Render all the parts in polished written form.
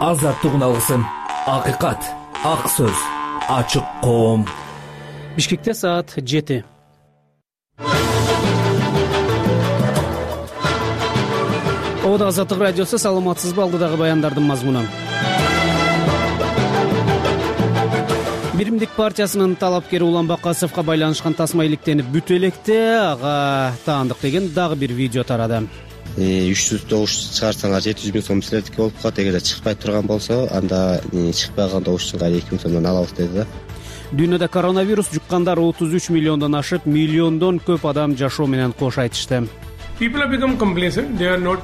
азаттык үналгысын. Акыйкат, ак сөз, ачык коом. Бишкекте саат 7. Ода Азаттык радиосу, саламатсызбы? Алдыдагы баяндардын мазмуну. Биримдик партиясынын талапкери Улан Бакасовго байланышкан тасма иликтенип бүтө электе ага таандык деген дагы бир видео тарады. 300 добуш чыгарсаңар 700 миң сом силердики болуп калат. Эгерде чыкпай турган болсо, анда чыкпаган добуштун кайра 2 миң сомдон алабыз деди да. Дүйнөдө коронавирус жуккандар 33 миллиондон ашып, миллиондон көп адам жашоо менен кош айтышты.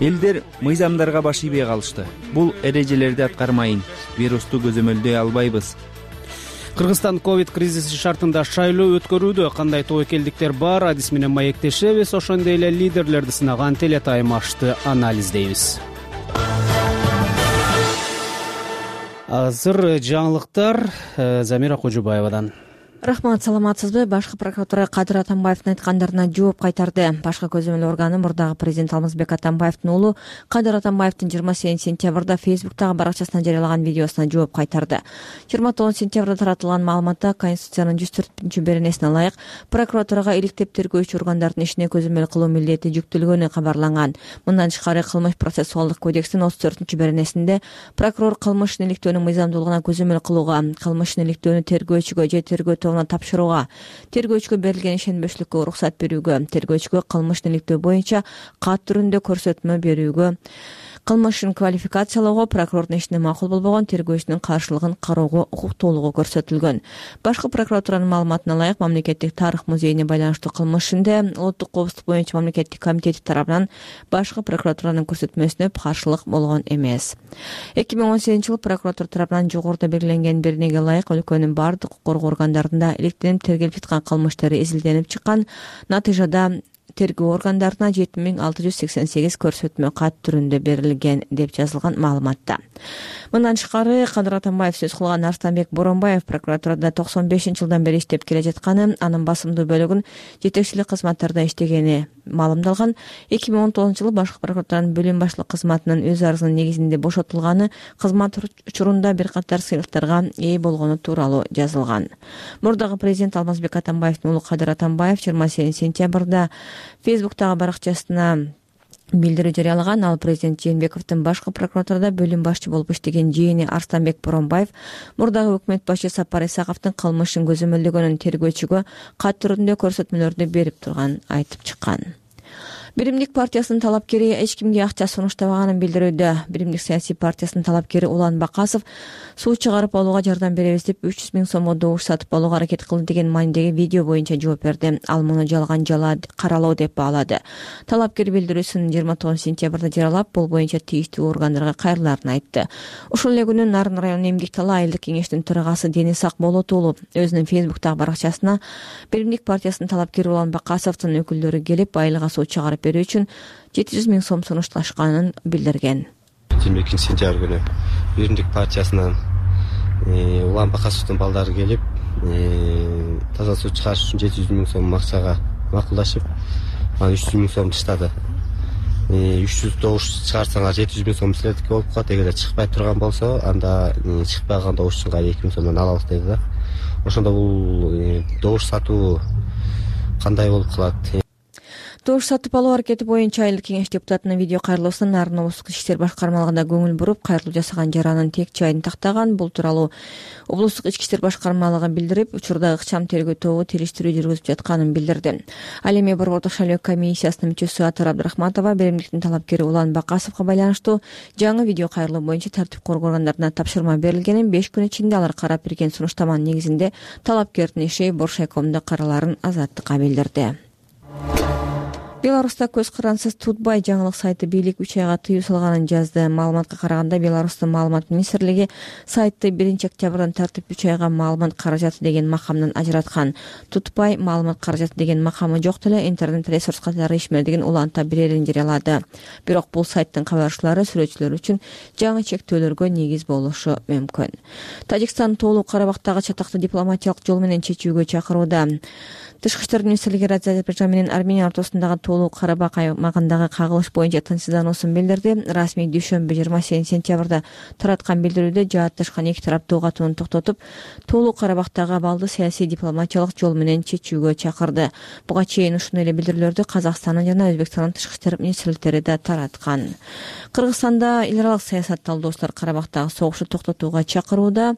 Элдер мыйзамдарга баш ийбей калышты. Бул эрежелерди аткармайын, вирусту көзөмөлдөй албайбыз. Кыргызстан ковид кризиси шартында шайлоо өткөрүүдө кандай тобокелдиктер бар, адис менен маектешебиз, ошондой эле лидерлерди сынаган телетайм ашты анализдейбиз. Азыр жаңылыктар Замира Кожубаевадан. Рахмат, саламатсызбы? Башкы прокуратура Кадыр Атамбаевдин айткандарына жооп кайтарды. Башкы көзөмөл органы мурдагы президент Алмазбек Атамбаевдин уулу Кадыр Атамбаевдин 28 сентябрда Фейсбуктагы баракчасына жарыялаган видеосуна жооп кайтарды. 29 сентябрда таратылган маалыматта Конституциянын 104-беренесине ылайык прокуратурага иликтеп тергөөчү органдардын ишине көзөмөл кылуу милдети жүктөлгөнү кабарланган. Мындан тышкары Кылмыш процессуалдык кодекстин 34-беренесинде прокурор кылмыш иликтөөнүн мыйзамдуулугуна көзөмөл кылууга, кылмыш иликтөөнү тергөөчүгө же тергөө тапшырууга, тергөөчүгө берилген ишенбештикке уруксат берүүгө, тергөөчүгө кылмыш иликтөө боюнча кат түрүндө көрсөтмө берүүгө, кылмышын квалификациялоого, прокурордун ишине макул болбогон тергөөчүнүн каршылыгын кароого укуктуулугу көрсөтүлгөн. Башкы прокуратуранын маалыматына ылайык, Мамлекеттик тарых музейине байланыштуу кылмыш ишинде Улуттук коопсуздук боюнча мамлекеттик комитети тарабынан башкы прокуратуранын көрсөтмөсүнө каршылык болгон эмес. 2018-жылы прокуратура тарабынан жогоруда белгиленген беренеге ылайык өлкөнүн бардык укук коргоо органдарында иликтенип тергелип жаткан кылмыштары изилденип чыккан. Натыйжада тергөө органдарына 7688 көрсөтмө кат түрүндө берилген деп жазылган маалыматта. Мындан тышкары Кадыр Атамбаев сөз кылган Арстанбек Боронбаев прокуратурада 95-жылдан бери иштеп келе жатканы, анын басымдуу бөлүгүн жетекчилик кызматтарда иштегени маалымдалган. 2019-жылы башкы прокуратуранын бөлүм башлык кызматынын өз арызынын негизинде бошотулганы, кызмат учурунда бир катар сыйлыктарга ээ болгону тууралуу жазылган. Мурдагы президент Алмазбек Атамбаевдин уулу Кадыр Атамбаев 28 сентябрда Фейсбуктагы баракчасына билдирүү жарыялаган. Ал президент Жээнбековдун башкы прокуратурада бөлүм башчы болуп иштеген жээни Арстанбек Боронбаев мурдагы өкмөт башчы Сапар Исаковдун кылмышын көзөмөлдөгөнүн тергөөчүгө кат түрүндө көрсөтмөлөрдү берип турганын айтып чыккан. Биримдик партиясынын талапкери эч кимге акча сунуштабаганын билдирүүдө. Биримдик саясий партиясынын талапкери Улан Бакасов суу чыгарып алууга жардам беребиз деп 300 миң сомго добуш сатып алууга аракет кылды деген маанидеги видео боюнча жооп берди. Ал муну жалган каралоо деп баалады. Талапкер билдирүүсүн 29 сентябрда жарыялап, бул боюнча тийиштүү органдарга кайрылаарын айтты. Ошол эле күнү Нарын районунун Эмгек Тала айылдык кеңештин төрагасы Денис Акболот уулу өзүнүн Фейсбуктагы баракчасына Биримдик партиясынын талапкери Улан Бакасовдун өкүлдөрү келип айылга суу чыгарып берүү үчүн 700 миң сом сунушташканын билдирген. 22 сентябрь күнү Биримдик партиясынан Улан Бакасовдун балдары келип, таза суу чыгарыш үчүн 700 миң сом акчага макулдашып, анан 300 миң сом таштады. 300 добуш чыгарсаңар 700 миң сом силердики болуп калат. Эгерде чыкпай турган болсо, анда чыкпаган добуштун кайра 2 миң сомдон алабыз деди да. Ошондо бул добуш сатуу кандай болуп калат? Добуш сатып алуу аракети боюнча айылдык кеңеш депутатынын видео кайрылуусунан Нарын облустук ички иштер башкармалыгына көңүл буруп, кайрылуу жасаган жаранын тек жайын тактаган. Бул тууралуу облустук ички иштер башкармалыгы билдирип, учурда ыкчам тергөө тобу териштирүү жүргүзүп жатканын билдирди. Ал эми борбордук шайлоо комиссиясынын мүчөсү Атар Абдрахматова Биримдиктин талапкери Улан Бакасовго байланыштуу жаңы видео кайрылуу боюнча тартип коргоо органдарына тапшырма берилгенин, 5 күн ичинде алар карап берген сунуштаманын негизинде талапкердин иши Боршайкомдо каралаарын Азаттыкка билдирди. Беларуста көз карансыз Тутбай жаңылык сайты бийлик 3 айга тыюу салганын жазды. Маалыматка караганда Беларустун маалымат министрлиги сайтты 1 октябрдан тартып 3 айга маалымат каражаты деген макамдан ажыраткан. Тутбай маалымат каражаты деген макамы жок деле интернет ресурс катары ишмердигин уланта берерин жарыялады. Бирок бул сайттын кабарчылары сүрөтчүлөр үчүн жаңы чектөөлөргө негиз болушу мүмкүн. Тажикстан Тоолуу Карабактагы чатакты дипломатиялык жол менен чечүүгө чакырууда. Тышкы иштер министрлиги Азербайжан менен Армения ортосундагы Тоолуу Карабак аймагындагы кагылыш боюнча тынчсыздануусун билдирди. Расмий дүйшөмбү 27 сентябрда тараткан билдирүүдө жаатташкан эки тарап доо катууну токтотуп, Тоолуу Карабактагы абалды саясий дипломатиялык жол менен чечүүгө чакырды. Буга чейин ушуну эле билдирүүлөрдү Казакстандын жана Өзбекстандын тышкы иштер министрликтери да тараткан. Кыргызстанда эл аралык саясат талдоочулар Карабактагы согушту токтотууга чакырууда.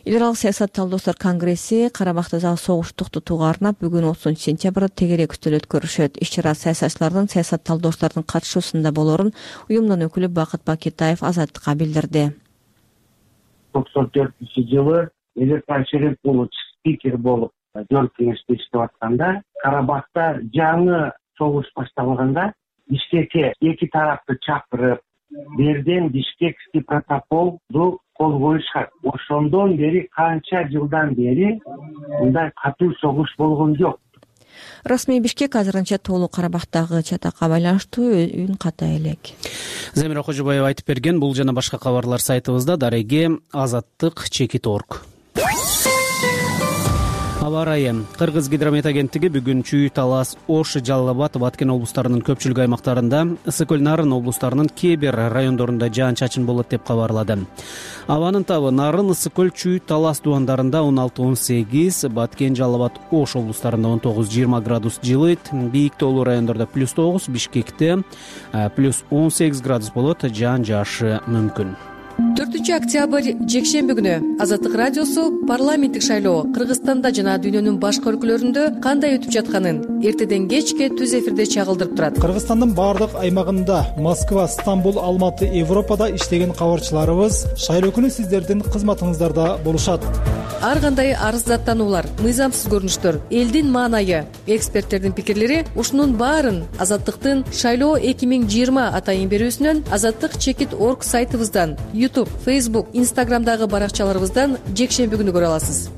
Эл аралык саясат талдоочулар конгресси Карабактагы согушту токтотууга арнап бүгүн 30 сентябрда тегерек үстөл өткөрүшөт. Иш-чара саясатчылардын, саясат талдоочулардын катышуусунда болорун уюмдун өкүлү Бакыт Бакетаев Азаттыкка билдирди. 94-жылы Электан Шерипович спикер болуп жол кеңеште иштеп атканда Карабакта жаңы согуш башталганда Бишкекке эки тарапты чакырып, берден Бишкекский протоколду кол коюшат. Ошондон бери канча жылдан бери мындай катуу согуш болгон жок. Расмий Бишкек азырынча Тоолуу Карабактагы чатакка байланыштуу үн ката элек. Замира Кожобаева айтып берген. Бул жана башка кабарлар сайтыбызда. Дареге Азаттык Чекит.org. Аба ырайы. Кыргыз гидромет агенттиги бүгүн Чүй, Талас, Ош, Жалал Абад, Баткен облустарынын көпчүлүк аймактарында, Ысык Көл, Нарын облустарынын кээ бир райондорунда жаан-чачын болот деп кабарлады. Абанын табы Нарын, Ысык Көл, Чүй, Талас дубандарында 16-18, Баткен, Жалал Абад, Ош облустарында 19-20 градус жылыйт. Бийик тоолуу райондордо +9, Бишкекте +18 градус болот, жаан жаашы мүмкүн. 4-октябрь жекшемби күнү Азаттык радиосу парламенттик шайлоо Кыргызстанда жана дүйнөнүн башка өлкөлөрүндө кандай өтүп жатканын эртеден кечке түз эфирде чагылдырып турат. Кыргызстандын баардык аймагында Москва, Стамбул, Алматы, Европада иштеген кабарчыларыбыз шайлоо күнү сиздердин кызматыңыздарда болушат. Ар кандай арыздаттануулар, мыйзамсыз көрүнүштөр, элдин маанайы, эксперттердин пикирлери ушунун баарын Азаттыктын шайлоо 2020 атайын берүүсүнөн Азаттык Чекит.org сайтыбыздан, YouTube, Facebook, Instagramдагы баракчаларыбыздан жекшемби күнү көрө аласыз.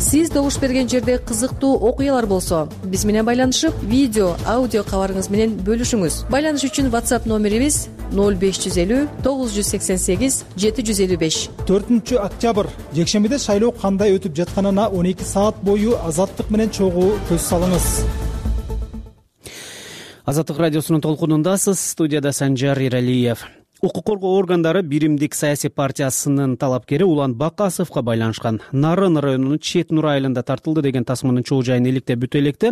Сиз добуш берген жерде кызыктуу окуялар болсо, биз менен байланышып, видео, аудио кабарыңыз менен бөлүшүңүз. Байланыш үчүн WhatsApp номерибиз 0550 988 755. 4-октябрь жекшембиде шайлоо кандай өтүп жатканына 12 саат бою Азаттык менен чогуу көз салыңыз. Азаттык радиосунун толкунундасыз. Студияда Санжар Иралиев. Укук коргоо органдары Биримдик саясий партиясынын талапкери Улан Бакасовго байланышкан Нарын районунун Чет Нур айылында тартылды деген тасманын чоо жайын иликтеп бүтө электе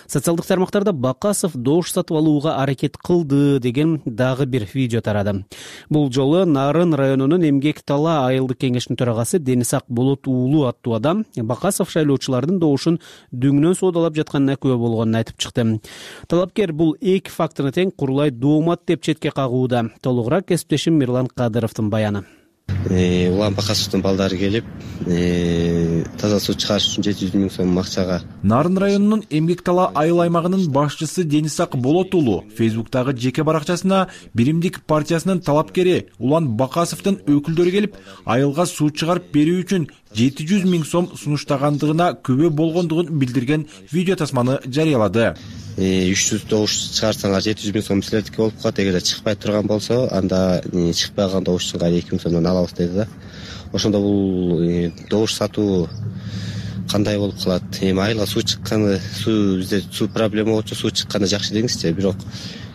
социалдык тармактарда Бакасов добуш сатып алууга аракет кылды деген дагы бир видео тарады. Бул жолу Нарын районунун Эмгек Тала айылдык кеңешинин төрагасы Денисак Болот уулу аттуу адам Бакасов шайлоочулардын добушун дөңнөн соодалап жатканына күбө болгонун айтып чыкты. Талапкер бул эки фактыны тең курулай доомат деп четке кагууда. Толугураак кесиптешим Мирлан Кадыровдун баяны. Улан Бакасовдун балдары келип, таза суу чыгарыш үчүн 700 000 сом акчага. Нарын районунун Эмгек Тала айыл аймагынын башчысы Денисак Болот уулу Фейсбуктагы жеке баракчасына Биримдик партиясынын талапкери Улан Бакасовдун өкүлдөрү келип, айылга суу чыгарып берүү үчүн 700 000 сом сунуштагандыгына күбө болгондугун билдирген видео тасманы жарыялады. 300 добуш чыгарсаңар 700 000 сом силердики болуп калат. Эгерде чыкпай турган болсо, анда чыкпаган добушчунга 2 000 сомдон алабыз деди да. Ошондо бул добуш сатуу кандай болуп калат? Айылга суу чыкканы, бизде суу проблема болчу, суу чыкканы жакшы деңизчи, бирок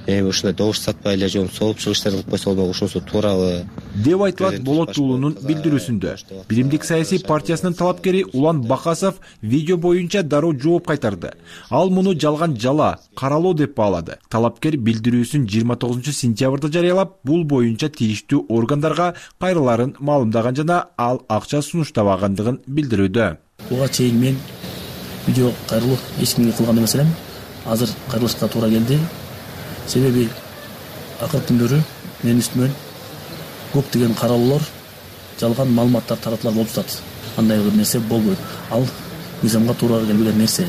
ушундай добуш сатпай эле жөн соопчулук иштер кылып койсо болмок, ушунусу туурабы деп айтылат Болот уулунун билдирүүсүндө. Биримдик саясий партиясынын талапкери Улан Бакасов видео боюнча дароо жооп кайтарды. Ал муну жалган жала, каралоо деп баалады. Талапкер билдирүүсүн 29 сентябрда жарыялап, бул боюнча тийиштүү органдарга кайрыларын маалымдаган жана ал акча сунуштабагандыгын билдирүүдө. Буга чейин мен видео кайрылуу эч кимге кылган эмес элем. Азыр кайрылышка туура келди. Себеби акыркы күндөрү менин үстүмөн көптөгөн каралуулар, жалган маалыматтар таратылар болуп жатат. Андай бир нерсе болбойт. Ал мыйзамга туура келбеген нерсе.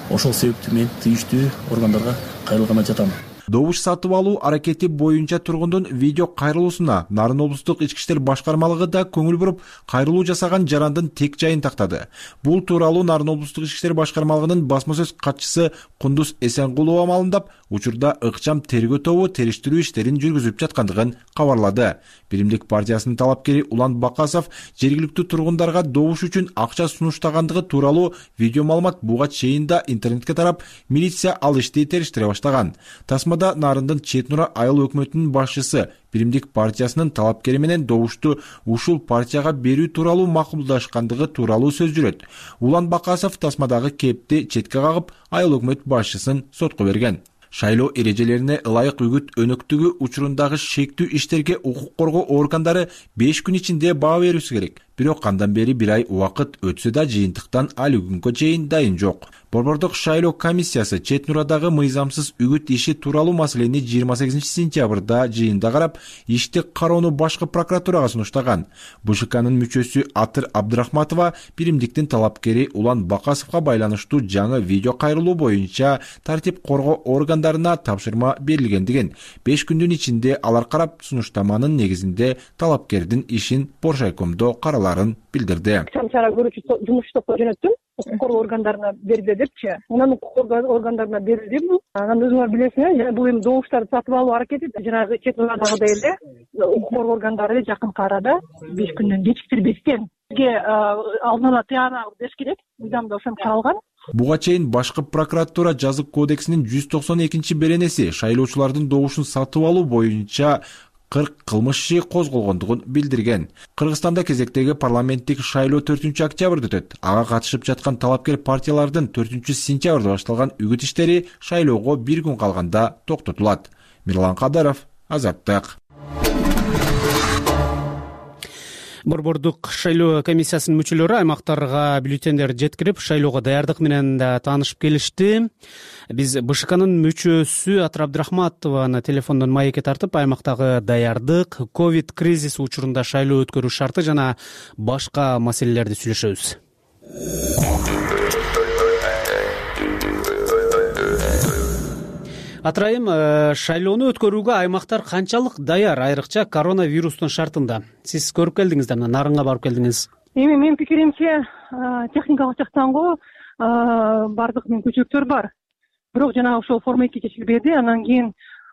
Ошол себептен мен тийиштүү органдарга кайрылганы жатам. Добуш сатып алуу аракети боюнча тургундун видео кайрылуусуна Нарын облустук ички иштер башкармалыгы да көңүл буруп, кайрылуу жасаган жарандын тек жайын тактады. Бул тууралуу Нарын облустук ички иштер башкармалыгынын басма сөз катчысы Кундуз Эсенгулова маалымдап, учурда ыкчам тергөө тобу териштирүү иштерин жүргүзүп жаткандыгын кабарлады. Биримдик партиясынын талапкери Улан Бакасов жергиликтүү тургундарга добуш үчүн акча сунуштагандыгы тууралуу видео маалымат буга чейин да интернетке тарап, милиция ал ишти териштире баштаган. Тасмада Нарындын Чет Нура айыл өкмөтүнүн башчысы Биримдик партиясынын талапкери менен добушту ушул партияга берүү тууралуу макулдашкандыгы тууралуу сөз жүрөт. Улан Бакасов тасмадагы кепти четке кагып, айыл өкмөт башчысын сотко берген. Шайлоо эрежелерине ылайык үгүт өнөктүгү учурундагы шектүү иштерге укук коргоо органдары 5 күн ичинде баа берүүсү керек. Бирок кандан бери 1 ай убакыт өтсө да жыйынтыктан али күнгө чейин дайын жок. Борбордук шайлоо комиссиясы Чет Нурадагы мыйзамсыз үгүт иши тууралуу маселени 28 сентябрда жыйында карап, ишти кароону башкы прокуратурага сунуштаган. БШКнын мүчөсү Атыр Абдырахматова биримдиктин талапкери Улан Бакасовго байланыштуу жаңы видео кайрылуу боюнча тартип коргоо органдарына тапшырма берилгендигин, 5 күндүн ичинде алар карап, сунуштаманын негизинде талапкердин ишин Боршайкомдо караларын билдирди. Чара көрүүчү жумуш топко жөнөттүм. Укук коргоо органдарына берди депчи. Анан укук коргоо органдарына берилди бул. Анан өзүңөр билесиңер, бул эми добуштарды сатып алуу аракети жанагы Чет Нурадагыдай эле укук коргоо органдары жакынкы арада 5 күндөн кечиктирбестен бизге алдын ала тыянак бериш керек. Мыйзамда ошентип каралган. Буга чейин башкы прокуратура жазык кодексинин 192 беренеси шайлоочулардын добушун сатып алуу боюнча 40 кылмыш иши козголгондугун билдирген. Кыргызстанда кезектеги парламенттик шайлоо 4-октябрда өтөт. Ага катышып жаткан талапкер партиялардын 4-сентябрда башталган үгүт иштери шайлоого 1 күн калганда токтотулат. Мирлан Кадаров, Азаттык. Борбордук шайлоо комиссиясынын мүчөлөрү аймактарга бюллетендер жеткирип, шайлоого даярдык менен да таанышып келишти. Биз БШКнын мүчөсү Атыр Абдырахматованы телефондон маекке тартып, аймактагы даярдык, ковид кризиси учурунда шайлоо өткөрүү шарты жана башка маселелерди сүйлөшөбүз. Атырайым, шайлоону өткөрүүгө аймактар канчалык даяр, айрыкча коронавирустун шартында? Сиз көрүп келдиңиз да, Нарынга барып келдиңиз. Эми менин пикиримче, техникалык жактан бардык мүмкүнчүлүктөр бар. Бирок жанагы ошол форма 2 чечилбеди. Анан кийин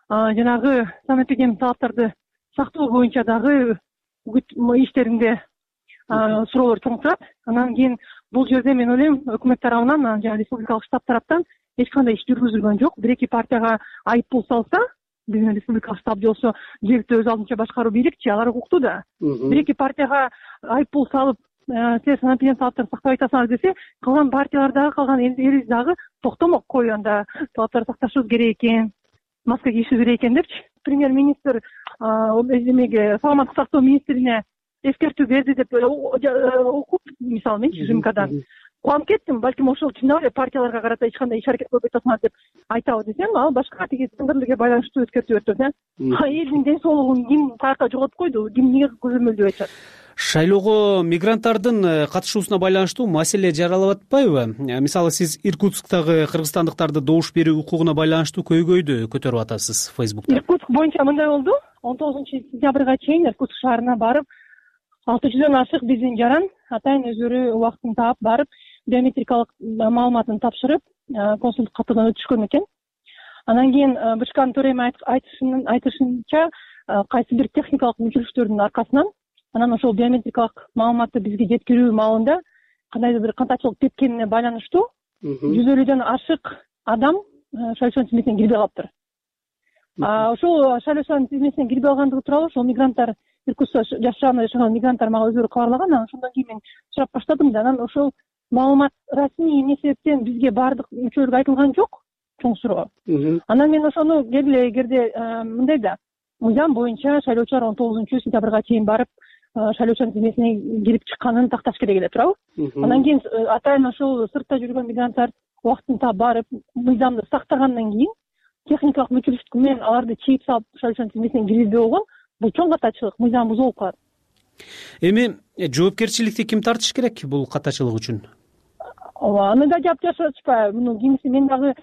жанагы санэпидемиялык талаптарды сактоо боюнча дагы үгүт иштеринде суроолор чоң турат. Анан кийин бул жерде мен ойлойм, өкмөт тарабынан, жана республикалык штаб тараптан эч кандай иш жүргүзүлгөн жок. 1-2 партияга айып пул салса, биздин республикалык штаб болсо жергиликтүү өз алдынча башкаруу бийликчи, алар укуктуу да. 1-2 партияга айып пул салып, силер санэпидемиялык талаптарды сактабай атасыңар десе, калган партиялар дагы, калган элибиз дагы токтомок, кой анда талаптарды сакташыбыз керек экен, маска кийишибиз керек экен депчи. Премьер-министр эмеге, саламаттык сактоо министрине эскертүү берди деп окуп, мисалы менчи ЖМКдан кубанып кеттим. Балким ошол чындап эле партияларга карата эч кандай иш аракет кылбай атасыңар деп айтабы десем, ал башка тиги тендерлерге байланыштуу эскертүү берип турат. Элдин ден соолугун ким каяка жоготуп койду, ким эмнеге көзөмөлдөп атат? Шайлоого мигранттардын катышуусуна байланыштуу маселе жаралып атпайбы? Мисалы, сиз Иркутсктагы кыргызстандыктарды добуш берүү укугуна байланыштуу көйгөйдү көтөрүп атасыз Facebook'та. Иркутск боюнча мындай болду. 19-сентябрга чейин Иркутск шаарына барып, 600дөн ашык биздин жаран атайын өздөрү убактын таап барып, биометрикалык маалыматын тапшырып, консулдук катыган өтүшкөн экен. Анан кийин БШКнын төрайымы айтышынча, кайсы бир техникалык мүмкүнчүлүктөрдүн аркасынан анан ошол биометрикалык маалыматты бизге жеткирүү маалында кандайдыр бир кантачылык теткенине байланыштуу 150дөн ашык адам шайлоочулардын тизмесине кирбей калыптыр. Ошол шайлоочулардын тизмесине кирбей калгандыгы тууралуу ошол мигранттар, Иркутскта жашаган мигранттар мага өздөрү кабарлаган. Анан ошондон кийин мен сурап баштадым да, анан ошол маалымат расмий эмне себептен бизге баардык мүчөлөргө айтылган жок, чоң суроо. Анан мен ошону келе эгерде мындай да, мыйзам боюнча шайлоочулар 19-сентябрга чейин барып, шайлоочулардын тизмесине кирип чыкканын такташ керек эле, туурабы? Анан кийин атайын ошол сыртта жүргөн мигранттар убактын таап барып, мыйзамды сактагандан кийин техникалык мүмкүнчүлүк менен аларды чийип салып шайлоочулардын тизмесине киргизбей болгон, бул чоң катачылык, мыйзам бузулуп калат. Эми жоопкерчиликти ким тартыш керек бул катачылык үчүн? ооба, аны да жап жашап атышпайбы? Муну кимиси мен дагы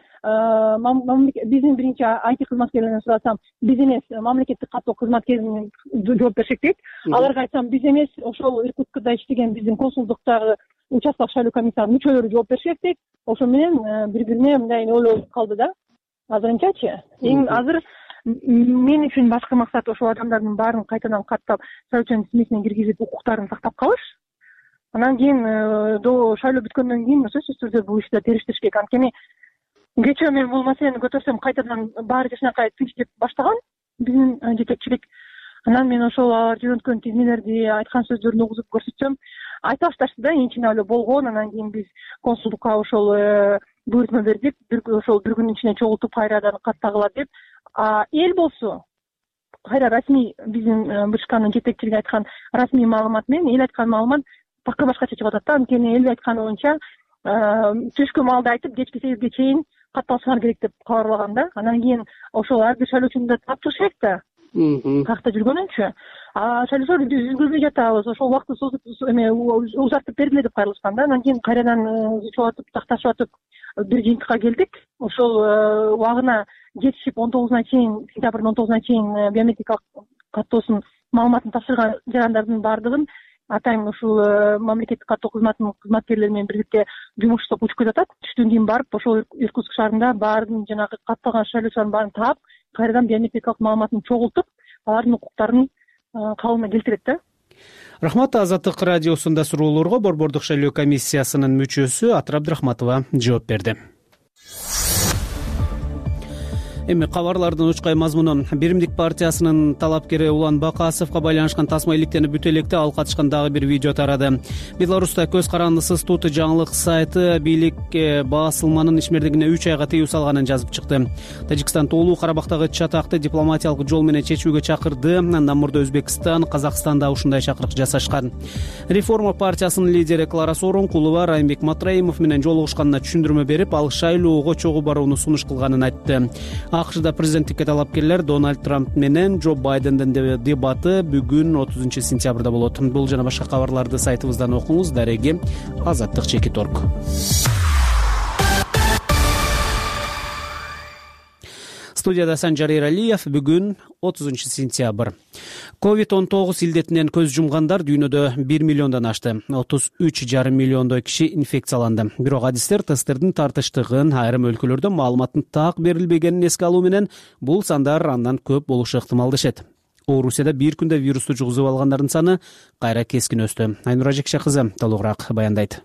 биздин биринчи IT кызматкерлеринен сурасам, биз эмес, мамлекеттик каттоо кызматкерлеринен жооп беришет дейт. Аларга айтсам, биз эмес, ошол Иркутскда иштеген биздин консулдуктагы участкалык шайлоо комиссиянын мүчөлөрү жооп беришет дейт. Ошо менен бири-бирине мындай ойлонуп калды да. Азырынчачы. Эң азыр мен үчүн башкы максат ошол адамдардын баарын кайтадан каттап, шайлоочунун тизмесине киргизип, укуктарын сактап калыш. Анан кийин шайлоо бүткөндөн кийин сөзсүз түрдө бул ишти териштириш керек. Анткени кечээ мен бул маселени көтөрсөм, кайтадан баары жакшынакай тынч деп баштаган биздин жетекчилик. Анан мен ошол алар жөнөткөн тизмелерди, айткан сөздөрүн угузуп көрсөтсөм, айта башташты да, ичине эле болгон. Анан кийин биз консулдукка ошол буйртма бердик, ошол бир күнүн ичинде чогултуп кайрадан каттагыла деп. Эл болсо кайра расмий биздин БШКнын жетекчилиги айткан расмий маалымат менен эл айткан маалымат пакка башкача чыгып атат да. Анткени эл айтканы боюнча түшкү маалда айтып, кечки 8ге чейин катталсаңар керек деп кабарлаган да. Анан кийин ошол ар бир шайлоочуну да таптыш керек да. Какта жүргөнүнчү. Шайлоочулар биз үлгүрбөй жатабыз, ошол убакытты узартып бергиле деп кайрылышкан да. Анан кийин кайрадан чогултуп, такташып атып бир жыйынтыкка келдик. Ошол убагына жетишип 19-на чейин, сентябрдын 19-на чейин биометрикалык каттоосунун маалыматын тапшырган жарандардын баардыгын атайын ушул мамлекеттик каттоо кызматынын кызматкерлери менен бирдикте жумуш иштеп учуп жатат. Түштөн кийин барып ошол Иркутск шаарында баардын жанагы катталган шайлоочулардын баарын таап, кайрадан биометрикалык маалыматын чогултуп, алардын укуктарын калыбына келтирет да. Рахмат. Азаттык радиосунда суроолорго Борбордук шайлоо комиссиясынын мүчөсү Атыр Абдрахматова жооп берди. Эми кабарлардын учкай мазмунун Биримдик партиясынын талапкери Улан Бакасовго байланышкан тасма иликтенип бүтө электе ал катышкан дагы бир видео тарады. Беларуста көз карандысыз Тут жаңылык сайты бийлик басылманын ишмердигине 3 айга тыюу салганын жазып чыкты. Тажикстан тоолуу Карабактагы чатакты дипломатиялык жол менен чечүүгө чакырды. Андан мурда Өзбекстан, Казакстанда ушундай чакырык жасашкан. Реформа партиясынын лидери Клара Сооронкулова Райымбек Матраимов менен жолугушканына түшүндүрмө берип, ал шайлоого чогуу барууну сунуш кылганын айтты. АКШда президенттикке талапкерлер Дональд Трамп менен Джо Байдендин дебаты бүгүн 30-сентябрда болот. Бул жана башка кабарларды сайтыбыздан окуңуз. Дареги azаттык.org. Студияда Санжар Эралиев. Бүгүн 30-сентябрь. COVID-19 илдетинен көз жумгандар дүйнөдө 1 миллиондон ашты. 33,5 миллиондой киши инфекцияланды. Бирок адистер тесттердин тартыштыгын, айрым өлкөлөрдө маалыматтын так берилбегенин эске алуу менен бул сандар андан көп болушу ыктымал дешет. Орусияда бир күндө вирусту жугузуп алгандардын саны кайра кескин өстү. Айнура Жекше кызы толугураак баяндайт.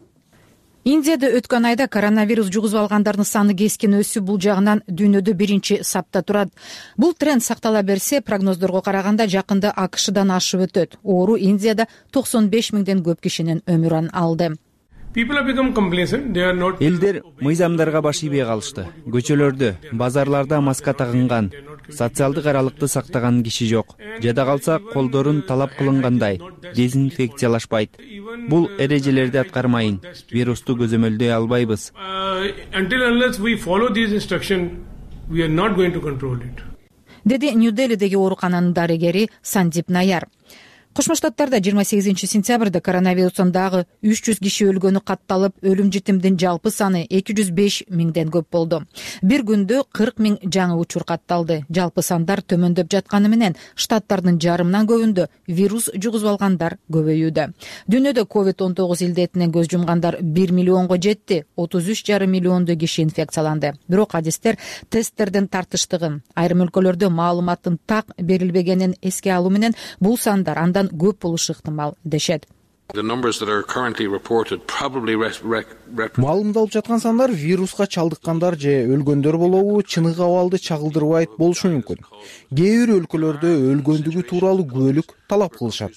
Индияда өткөн айда коронавирус жугузуп алгандардын саны кескин өсүп, бул жагынан дүйнөдө биринчи сапта турат. Бул тренд сактала берсе, прогноздорго караганда жакында АКШдан ашып өтөт. Оору Индияда 95 миңден көп кишинин өмүрүн алды. Элдер мыйзамдарга баш ийбей калышты. Көчөлөрдө, базарларда маска тагынган, социалдык аралыкты сактаган киши жок. Жада калса колдорун талап кылынгандай дезинфекциялашпайт. Бул эрежелерди аткармайын, вирусту көзөмөлдөй албайбыз. Деди Нью-Делидеги оорукананын дарыгери Сандип Наяр. Кошмо Штаттарда 28-сентябрда коронавирустан дагы 300 киши өлгөнү катталып, өлүм житимдин жалпы саны 205 миңден көп болду. Бир күндө 40 миң жаңы учур катталды. Жалпы сандар төмөндөп жатканы менен штаттардын жарымынан көбүндө вирус жугузуп алгандар көбөйүүдө. Дүйнөдө COVID-19 илдетинен көз жумгандар 1 миллионго жетти, 33,5 миллиондой киши инфекцияланды. Бирок адистер тесттердин тартыштыгын, айрым өлкөлөрдө маалыматтын так берилбегенин эске алуу менен бул сандар андан көп болушу ыктымал дешет. Маалымдалып жаткан сандар вируска чалдыккандар же өлгөндөр болобу, чыныгы абалды чагылдырбайт болушу мүмкүн. Кээ бир өлкөлөрдө өлгөндүгү тууралуу күбөлүк талап кылышат.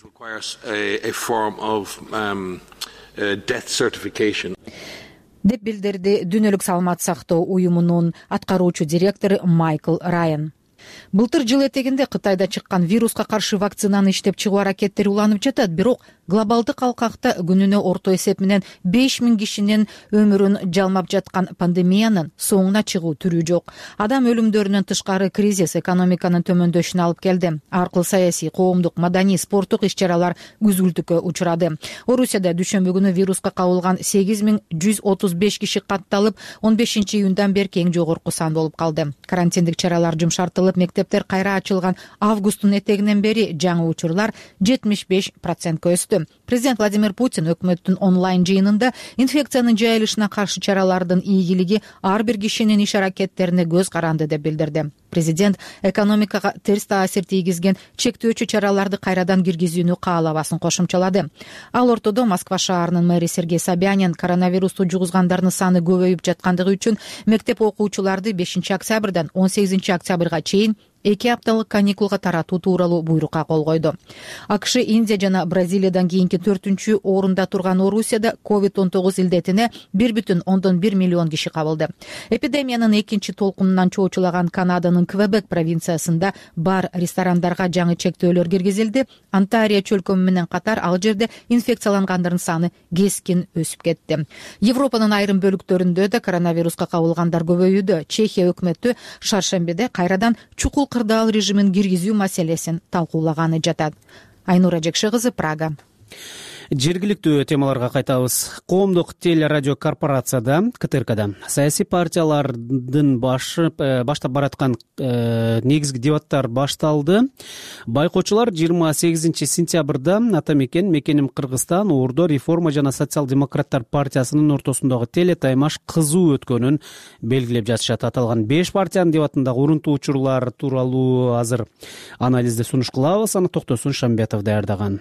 Деп билдирди Дүйнөлүк саламат сактоо уюмунун аткаруучу директору Майкл Райан. Былтыр жыл этегинде Кытайда чыккан вируска каршы вакцинаны иштеп чыгуу аракеттери уланып жатат, бирок глобалдык алкакта күнүнө орто эсеп менен 5000 кишинин өмүрүн жалмап жаткан пандемиянын соңуна чыгуу түрү жок. Адам өлүмдөрүнөн тышкары кризис экономиканын төмөндөшүнө алып келди. Аркылуу саясий, коомдук, маданий, спорттук иш-чаралар күзгүлтүккө учурады. Орусияда дүшөмбү күнү вируска кабылган 8135 киши катталып, 15-июндан бери эң жогорку сан болуп калды. Карантиндик чаралар жумшартылып, мектептер кайра ачылган августтун этегинен бери жаңы учурлар 75%ка өстү. Президент Владимир Путин өкмөттүн онлайн жыйынында инфекциянын жайылышына каршы чаралардын ийгилиги ар бир кишинин иш-аракеттерине көз каранды деп билдирди. Президент экономикага терс таасир тийгизген чектөөчү чараларды кайрадан киргизүүнү каалабасын кошумчалады. Ал ортодо Москва шаарынын мэри Сергей Собянин коронавирусту жугузгандардын саны көбөйүп жаткандыгы үчүн мектеп окуучуларды 5-октябрдан 18-октябрга чейин 2 апталык каникулга таратуу тууралуу буйрукка кол койду. АКШ, Индия жана Бразилиядан кийинки 4-чү орунда турган Орусияда COVID-19 илдетине 1,1 миллион киши кабылды. Эпидемиянын экинчи толкунунан чоочулаган Канаданын Квебек провинциясында бар ресторандарга жаңы чектөөлөр киргизилди. Онтарио чөлкөмү менен катар ал жерде инфекциялангандардын саны кескин өсүп кетти. Европанын айрым бөлүктөрүндө да коронавируска кабылгандар көбөйүүдө. Чехия өкмөтү шаршембиде кайрадан чукул кырдаал режимин киргизүү маселесин талкуулаганы жатат. Айнура Жекше кызы, Прага. Жергиликтүү темаларга кайтабыз. Коомдук телерадио корпорацияда КТРКда саясий партиялардын баштап бараткан негизги дебаттар башталды. Байкоочулар 28-сентябрда Ата мекен, мекеним Кыргызстан, Ордо реформа жана социал-демократтар партиясынын ортосундагы теле таймаш кызуу өткөнүн белгилеп жатышат. Аталган 5 партиянын дебатындагы урунтуу учурлар тууралуу азыр анализди сунуш кылабыз. Аны Токтосун Шамбетов даярдаган.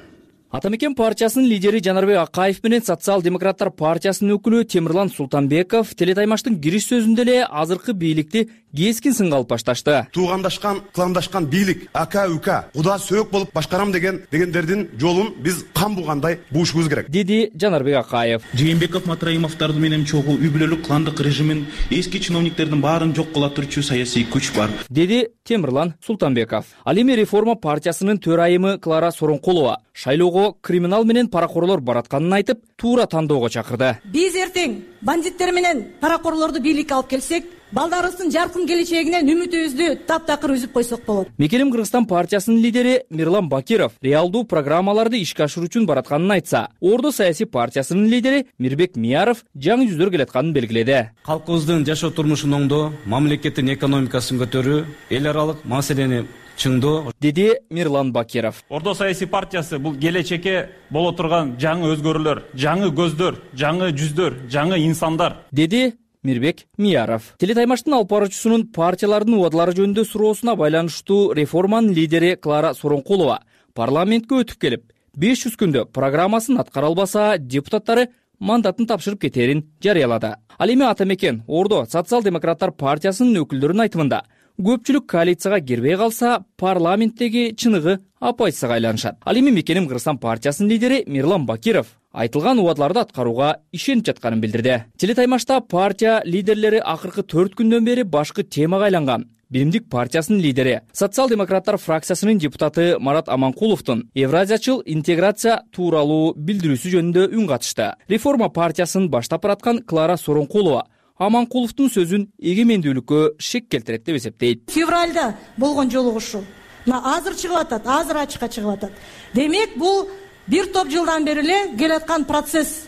Ата мекен партиясынын лидери Жанарбек Акаев менен социал-демократтар партиясынын өкүлү Темирлан Султанбеков телетаймаштын кириш сөзүндө эле азыркы бийликти кескин сынга алып башташты. Туугандашкан, кыламдашкан бийлик, ака-ука, куда сөөк болуп башкарам дегендердин жолун биз кан булгандай буушубуз керек, деди Жанарбек Акаев. Жээнбеков, Матраимовдордун менен чогуу үй бүлөлүк кландык режимин, эски чиновниктердин баарын жок кыла турчу саясий күч бар, деди Темирлан Султанбеков. Ал эми реформа партиясынын төрайымы Клара Соронкулова шайлоого криминал менен паракорлор баратканын айтып, туура тандоого чакырды. Биз эртең бандиттер менен паракорлорду бийликке алып келсек, балдарыбыздын жаркын келечегинен үмүтүбүздү таптакыр үзүп койсок болот. Мекеним Кыргызстан партиясынын лидери Мирлан Бакиров реалдуу программаларды ишке ашыруу үчүн баратканын айтса, Ордо саясий партиясынын лидери Мирбек Мияров жаңы жүздөр келатканын белгиледи. Калкыбыздын жашоо турмушун оңдоо, мамлекеттин экономикасын көтөрүү, эл аралык маселени чыңдоо, деди Мирлан Бакиров. Ордо саясий партиясы бул келечекке боло турган жаңы өзгөрүүлөр, жаңы көздөр, жаңы жүздөр, жаңы инсандар, деди Мирбек Мияров. Телетаймаштын алып баруучусунун партиялардын убадалары жөнүндө суроосуна байланыштуу реформанын лидери Клара Соронкулова парламентке өтүп келип, 500 күндө программасын аткара албаса, депутаттары мандатын тапшырып кетерин жарыялады. Ал эми Ата мекен, Ордо социал-демократтар партиясынын өкүлдөрүнүн айтымында көпчүлүк коалицияга кирбей калса, парламенттеги чыныгы апайсызга айланышат. Ал эми Мекеним Кыргызстан партиясынын лидери Мирлан Бакиров айтылган убадаларды аткарууга ишенип жатканын билдирди. Телетаймашта партия лидерлери акыркы 4 күндөн бери башкы темага айланган. Биримдик партиясынын лидери, социал-демократтар фракциясынын депутаты Марат Аманкуловдун Евразиячыл интеграция тууралуу билдирүүсү жөнүндө үн катышты. Реформа партиясын баштап бараткан Клара Соронкулова Аманкуловдун сөзүн эгемендүүлүккө шек келтирет деп эсептейт. Февралда болгон жолугушуу азыр чыгып атат, азыр ачыкка чыгып атат. Демек бул бир топ жылдан бери эле келаткан процесс.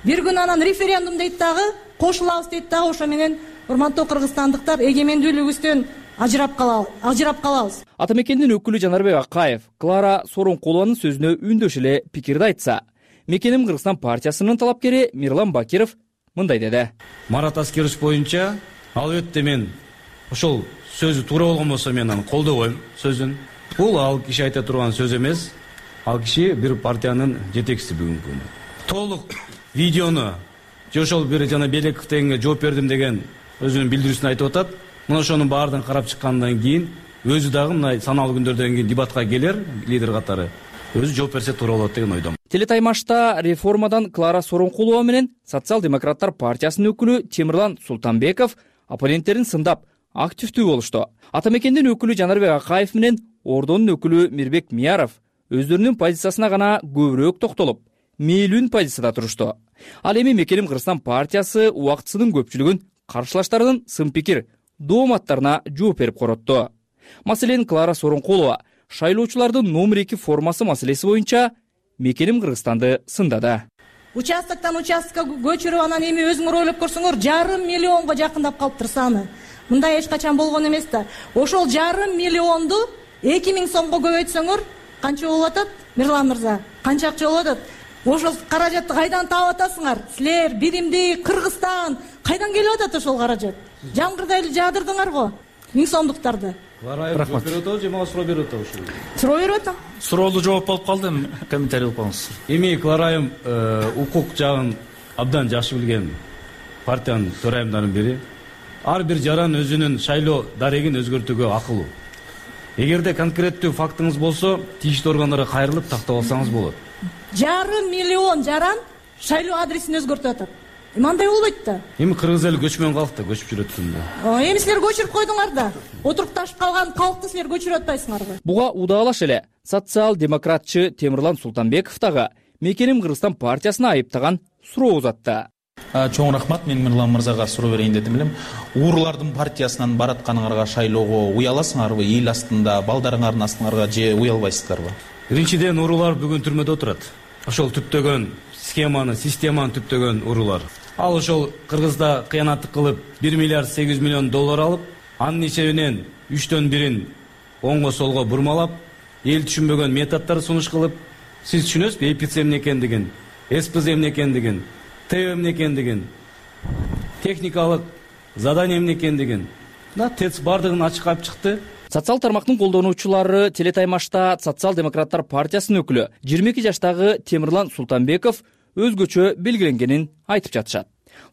Бир күн анан референдум дейт дагы, кошулабыз дейт дагы, ошо менен урматтуу кыргызстандыктар эгемендүүлүгүбүздөн ажырап калабыз. Ата мекендин өкүлү Жанарбек Акаев Клара Соронкулованын сөзүнө үндөш эле пикирди айтса, Мекеним Кыргызстан партиясынын талапкери Мирлан Бакиров мындай деди. Марат Аскерович боюнча, албетте мен ошол сөзү туура болгон болсо мен аны колдобойм сөзүн. Бул ал киши айта турган сөз эмес. Ал киши бир партиянын жетекчиси бүгүнкү күндө. Толук видеону же ошол бир жана Белеков дегенге жооп бердим деген өзүнүн билдирүүсүн айтып атат. Мына ошонун баардыгын карап чыккандан кийин өзү дагы мына саналуу күндөрдөн кийин дебатка келер лидер катары. Өзү жооп берсе туура болот деген ойдомун. Телетаймашта реформадан Клара Соронкулова менен социал-демократтар партиясынын өкүлү Темирлан Султанбеков оппоненттерин сындап активдүү болушту. Ата мекендин өкүлү Жанарбек Акаев менен Ордонун өкүлү Мирбек Мияров өздөрүнүн позициясына гана көбүрөөк токтолуп, мээлүүн позицияда турушту. Ал эми Мекеним Кыргызстан партиясы убактысынын көпчүлүгүн каршылаштардын сын пикир, дооматтарына жооп берип коротту. Маселен, Клара Сооронкулова шайлоочулардын номер 2 формасы маселеси боюнча Мекеним Кыргызстанды сындады. Участоктон участокко көчүрүп, анан эми өзүңөр ойлоп көрсөңөр, 5 миллионго жакындап калыптыр саны. Мындай эч качан болгон эмес да. Ошол 5 миллионду 2000 сомго көбөйтсөңөр, канча болуп атат? Мирлан мырза, канча акча болуп атат? Ошол каражатты кайдан таап атасыңар? Силер биримдик Кыргызстан кайдан келип атат ошол каражат? Жамгырда эле жаадырдыңар го 1000 сомдуктарды. Рахмат. Же мага суроо берип атабы ушул? Суроо берип атам. Суроолду жооп болуп калды, комментарий кылып коюңуз. Эми Кларайым укук жагын абдан жакшы билген партиянын төрайымдарынын бири. Ар бир жаран өзүнүн шайлоо дарегин өзгөртүүгө акылуу. Эгерде конкреттүү фактыңыз болсо, тийиштүү органдарга кайрылып тактап алсаңыз болот. 5 миллион жаран шайлоо адресин өзгөртүп атат. Мындай болбойт да. Эми кыргыз эли көчмөн калкты, көчүп жүрөтсүң да. Эми силер көчүрүп койдуңар да. Отурукташып калган калкты силер көчүрүп атпайсыңарбы? Буга удаалаш эле социал-демократчы Темирлан Султанбеков дагы Мекеним Кыргызстан партиясына айыптаган суроо узатты. Чоң рахмат, мен Мирлан мырзага суроо берейин дедим элем. Уурулардын партиясынан баратканыңарга шайлоого уяласыңарбы? Эл астында, балдарыңардын астыңарга же уялбайсыздарбы? Биринчиден, уурулар бүгүн түрмөдө отурат. Ошол түптөгөн схеманы, системаны түптөгөн уурулар. Ал ошол Кыргызда кыянаттык кылып 1 миллиард 800 миллион доллар алып, анын эсебинен 3төн 1-ин оңго солго бурмалап, эл түшүнбөгөн методдор сунуш кылып, сиз түшүнөсүзбү эпиц эмне экендигин, СПЗ эмне экендигин, ТЭО эмне экендигин, техникалык задание эмне экендигин. ТЭЦ бардыгын ачык алып чыкты. Социал тармактын колдонуучулары телетаймашта Социал-демократтар партиясынын өкүлү 22 жаштагы Темирлан Султанбеков өзгөчө белгиленгенин айтып жатышат.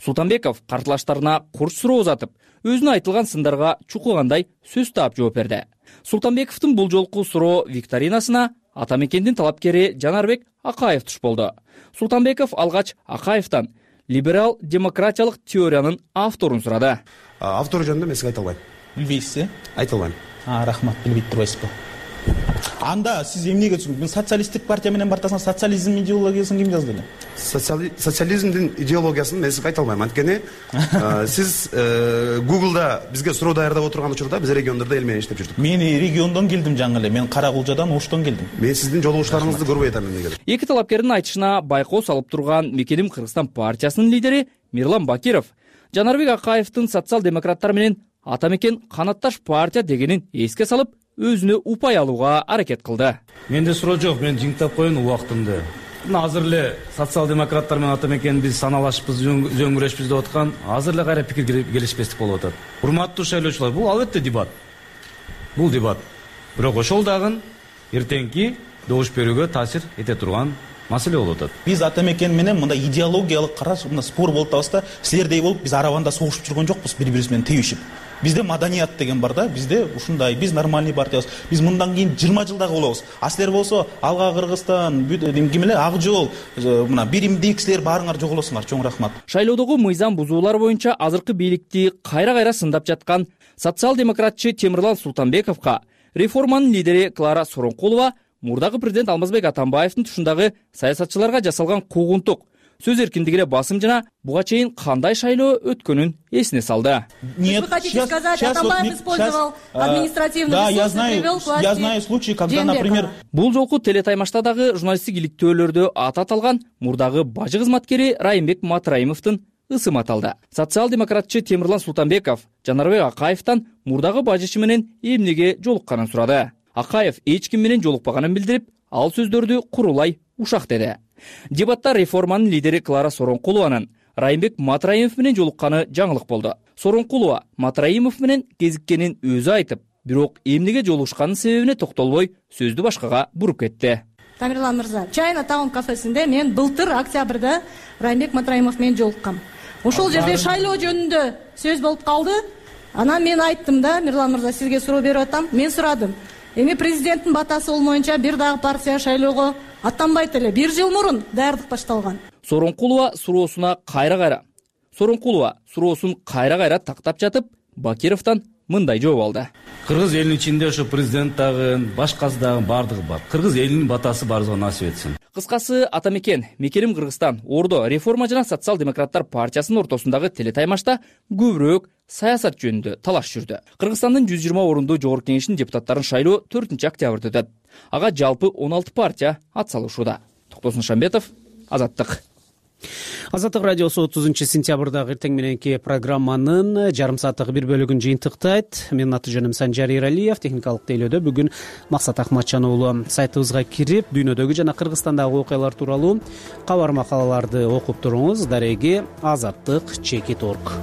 Султанбеков картылаштарына курч суроо узатып, өзүнө айтылган сындарга чукугандай сөз таап жооп берди. Султанбековдун бул жолку суроо викторинасына Ата Мекендин талапкери Жанарбек Акаев туш болду. Султанбеков алгач Акаевтан либерал демократиялык теориянын авторун сурады. Автору жөнүндө мен сизге айта албайм. Билбейсиз? Айта албайм. Рахмат, билбей турбайсызбы? Анда сиз эмнеге түшүндүңүз? Социалисттик партия менен бартасыңар, социализм идеологиясын ким жазды эле? Социализмдин идеологиясын мен сизге айта албайм. Анткени сиз Google'да бизге суроо даярдап отурган учурда биз региондордо эл менен иштеп жүрдүк. Мен региондон келдим жаңы эле. Мен Каракулжадан, Оштон келдим. Мен сиздин жолугуштарыңызды көрбөй атам эмнеге. Эки талапкердин айтышына байкоо салып турган Мекеним Кыргызстан партиясынын лидери Мирлан Бакиров Жанарбек Акаевдин социал-демократтар менен Ата Мекен канатташ партия дегенин эске салып, өзүнө упай алууга аракет кылды. Менде суроо жок, мен жиңтап коеюн убактымды. Азыр эле социал-демократтар менен Ата Мекен биз саналашпыз, зөңгүрөшпүз деп аткан, азыр эле кайра пикир келишпестик болуп атат. Урматтуу шайлоочулар, бул албетте дебат. Бул дебат. Бирок ошол дагы эртеңки добуш берүүгө таасир эте турган маселе болуп атат. Биз Ата Мекен менен мындай идеологиялык караш, мындай спор болуп атабыз да, силердей болуп биз арабанда согушуп жүргөн жокпуз, бири-бирибиз менен тебишип. Бизде маданият деген бар да, бизде ушундай, биз нормальный партиябыз. Биз мындан кийин 20 жылдагы болобуз. А силер болсо Алга Кыргызстан, ким эле Ак жол, мына биримдик силер баарыңар жоголосуңар. Чоң рахмат. Шайлоодогу мыйзам бузуулар боюнча азыркы бийликти кайра-кайра сындап жаткан социал-демократчы Темирлан Султанбековго реформанын лидери Клара Сооронкулова мурдагы президент Алмазбек Атамбаевдин тушундагы саясатчыларга жасалган куугунтук, сөз эркиндигине басым жана буга чейин кандай шайлоо өткөнүн эсине салды. Вы хотите сказать, Атамбаев использовал административный ресурс и привел к власти? Я знаю случай, когда, например... Бул жолку телетаймашта дагы журналисттик иликтөөлөрдө аты аталган мурдагы бажы кызматкери Райымбек Матраимовдун ысымы аталды. Социал-демократчы Темирлан Султанбеков Жанарбек Акаевтан мурдагы бажычы менен эмнеге жолукканын сурады. Акаев эч ким менен жолукпаганын билдирип, ал сөздөрдү курулай ушак деди. Дебатта реформанын лидери Клара Сооронкулованын Райымбек Матраимов менен жолукканы жаңылык болду. Сооронкулова Матраимов менен кезиккенин өзү айтып, бирок эмнеге жолугушканын себебине токтолбой сөздү башкага буруп кетти. Тамирлан мырза, Чайна Таун кафесинде мен былтыр октябрда Райымбек Матраимов менен жолуккам. Ошол жерде шайлоо жөнүндө сөз болуп калды. Анан мен айттым да, Мирлан мырза, сизге суроо берип атам. Мен сурадым. Эми президенттин батасы болмоюнча бир дагы партия шайлоого аттанбайт эле. 1 жыл мурун даярдык башталган. Сооронкулова суроосун кайра-кайра тактап жатып, Бакировдон мындай жооп алды. Кыргыз элинин ичинде ошо президент дагы, башкасы дагы баардыгы бар. Кыргыз элинин батасы баарыбызга насип этсин. Кыскасы, ата мекен Мекеним Кыргызстан Ордо реформа жана социал-демократтар партиясынын ортосундагы телетаймашта көбүрөөк саясат жөнүндө талаш жүрдү. Кыргызстандын 120 орундуу жогорку кеңешинин депутаттарын шайлоо 4 октябрда өтөт. Ага жалпы 16 партия ат салышууда. Токтосун Шамбетов, Азаттык. Азаттык радиосу 30 сентябрдагы эртең мененки программанын жарым сааттык бир бөлүгүн жыйынтыктайт. Менин аты жөнүм Санжар Иралиев. Техникалык тейлөөдө бүгүн Максат Акматжан уулу. Сайтыбызга кирип, дүйнөдөгү жана Кыргызстандагы окуялар тууралуу кабар макалаларды окуп туруңуз. Дареги azattik.org.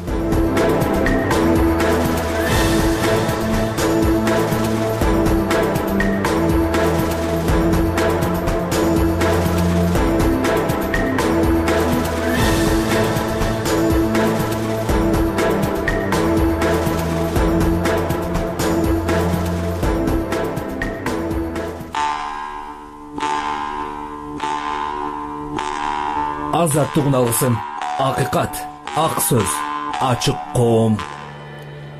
Азаттыгын алгысың. Акыйкат, ак сөз, ачык коом.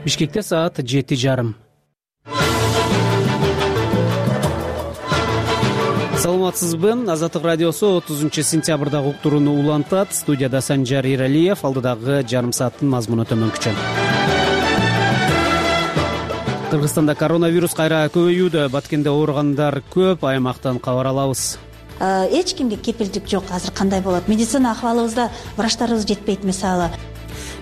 Бишкекте саат 7:30. Саламатсызбы? Азаттык радиосу 30 сентябрдагы уктурууну улантат. Студияда Санжар Иралиев, алдыдагы жарым сааттын мазмуну төмөнкүчө. Кыргызстанда коронавирус кайра көбөйүүдө. Баткенде ооругандар көп, аймактан кабар алабыз. Эч кимге кепилдик жок. Азыр кандай болот? Медицина акыбалыбызда врачтарыбыз жетпейт мисалы.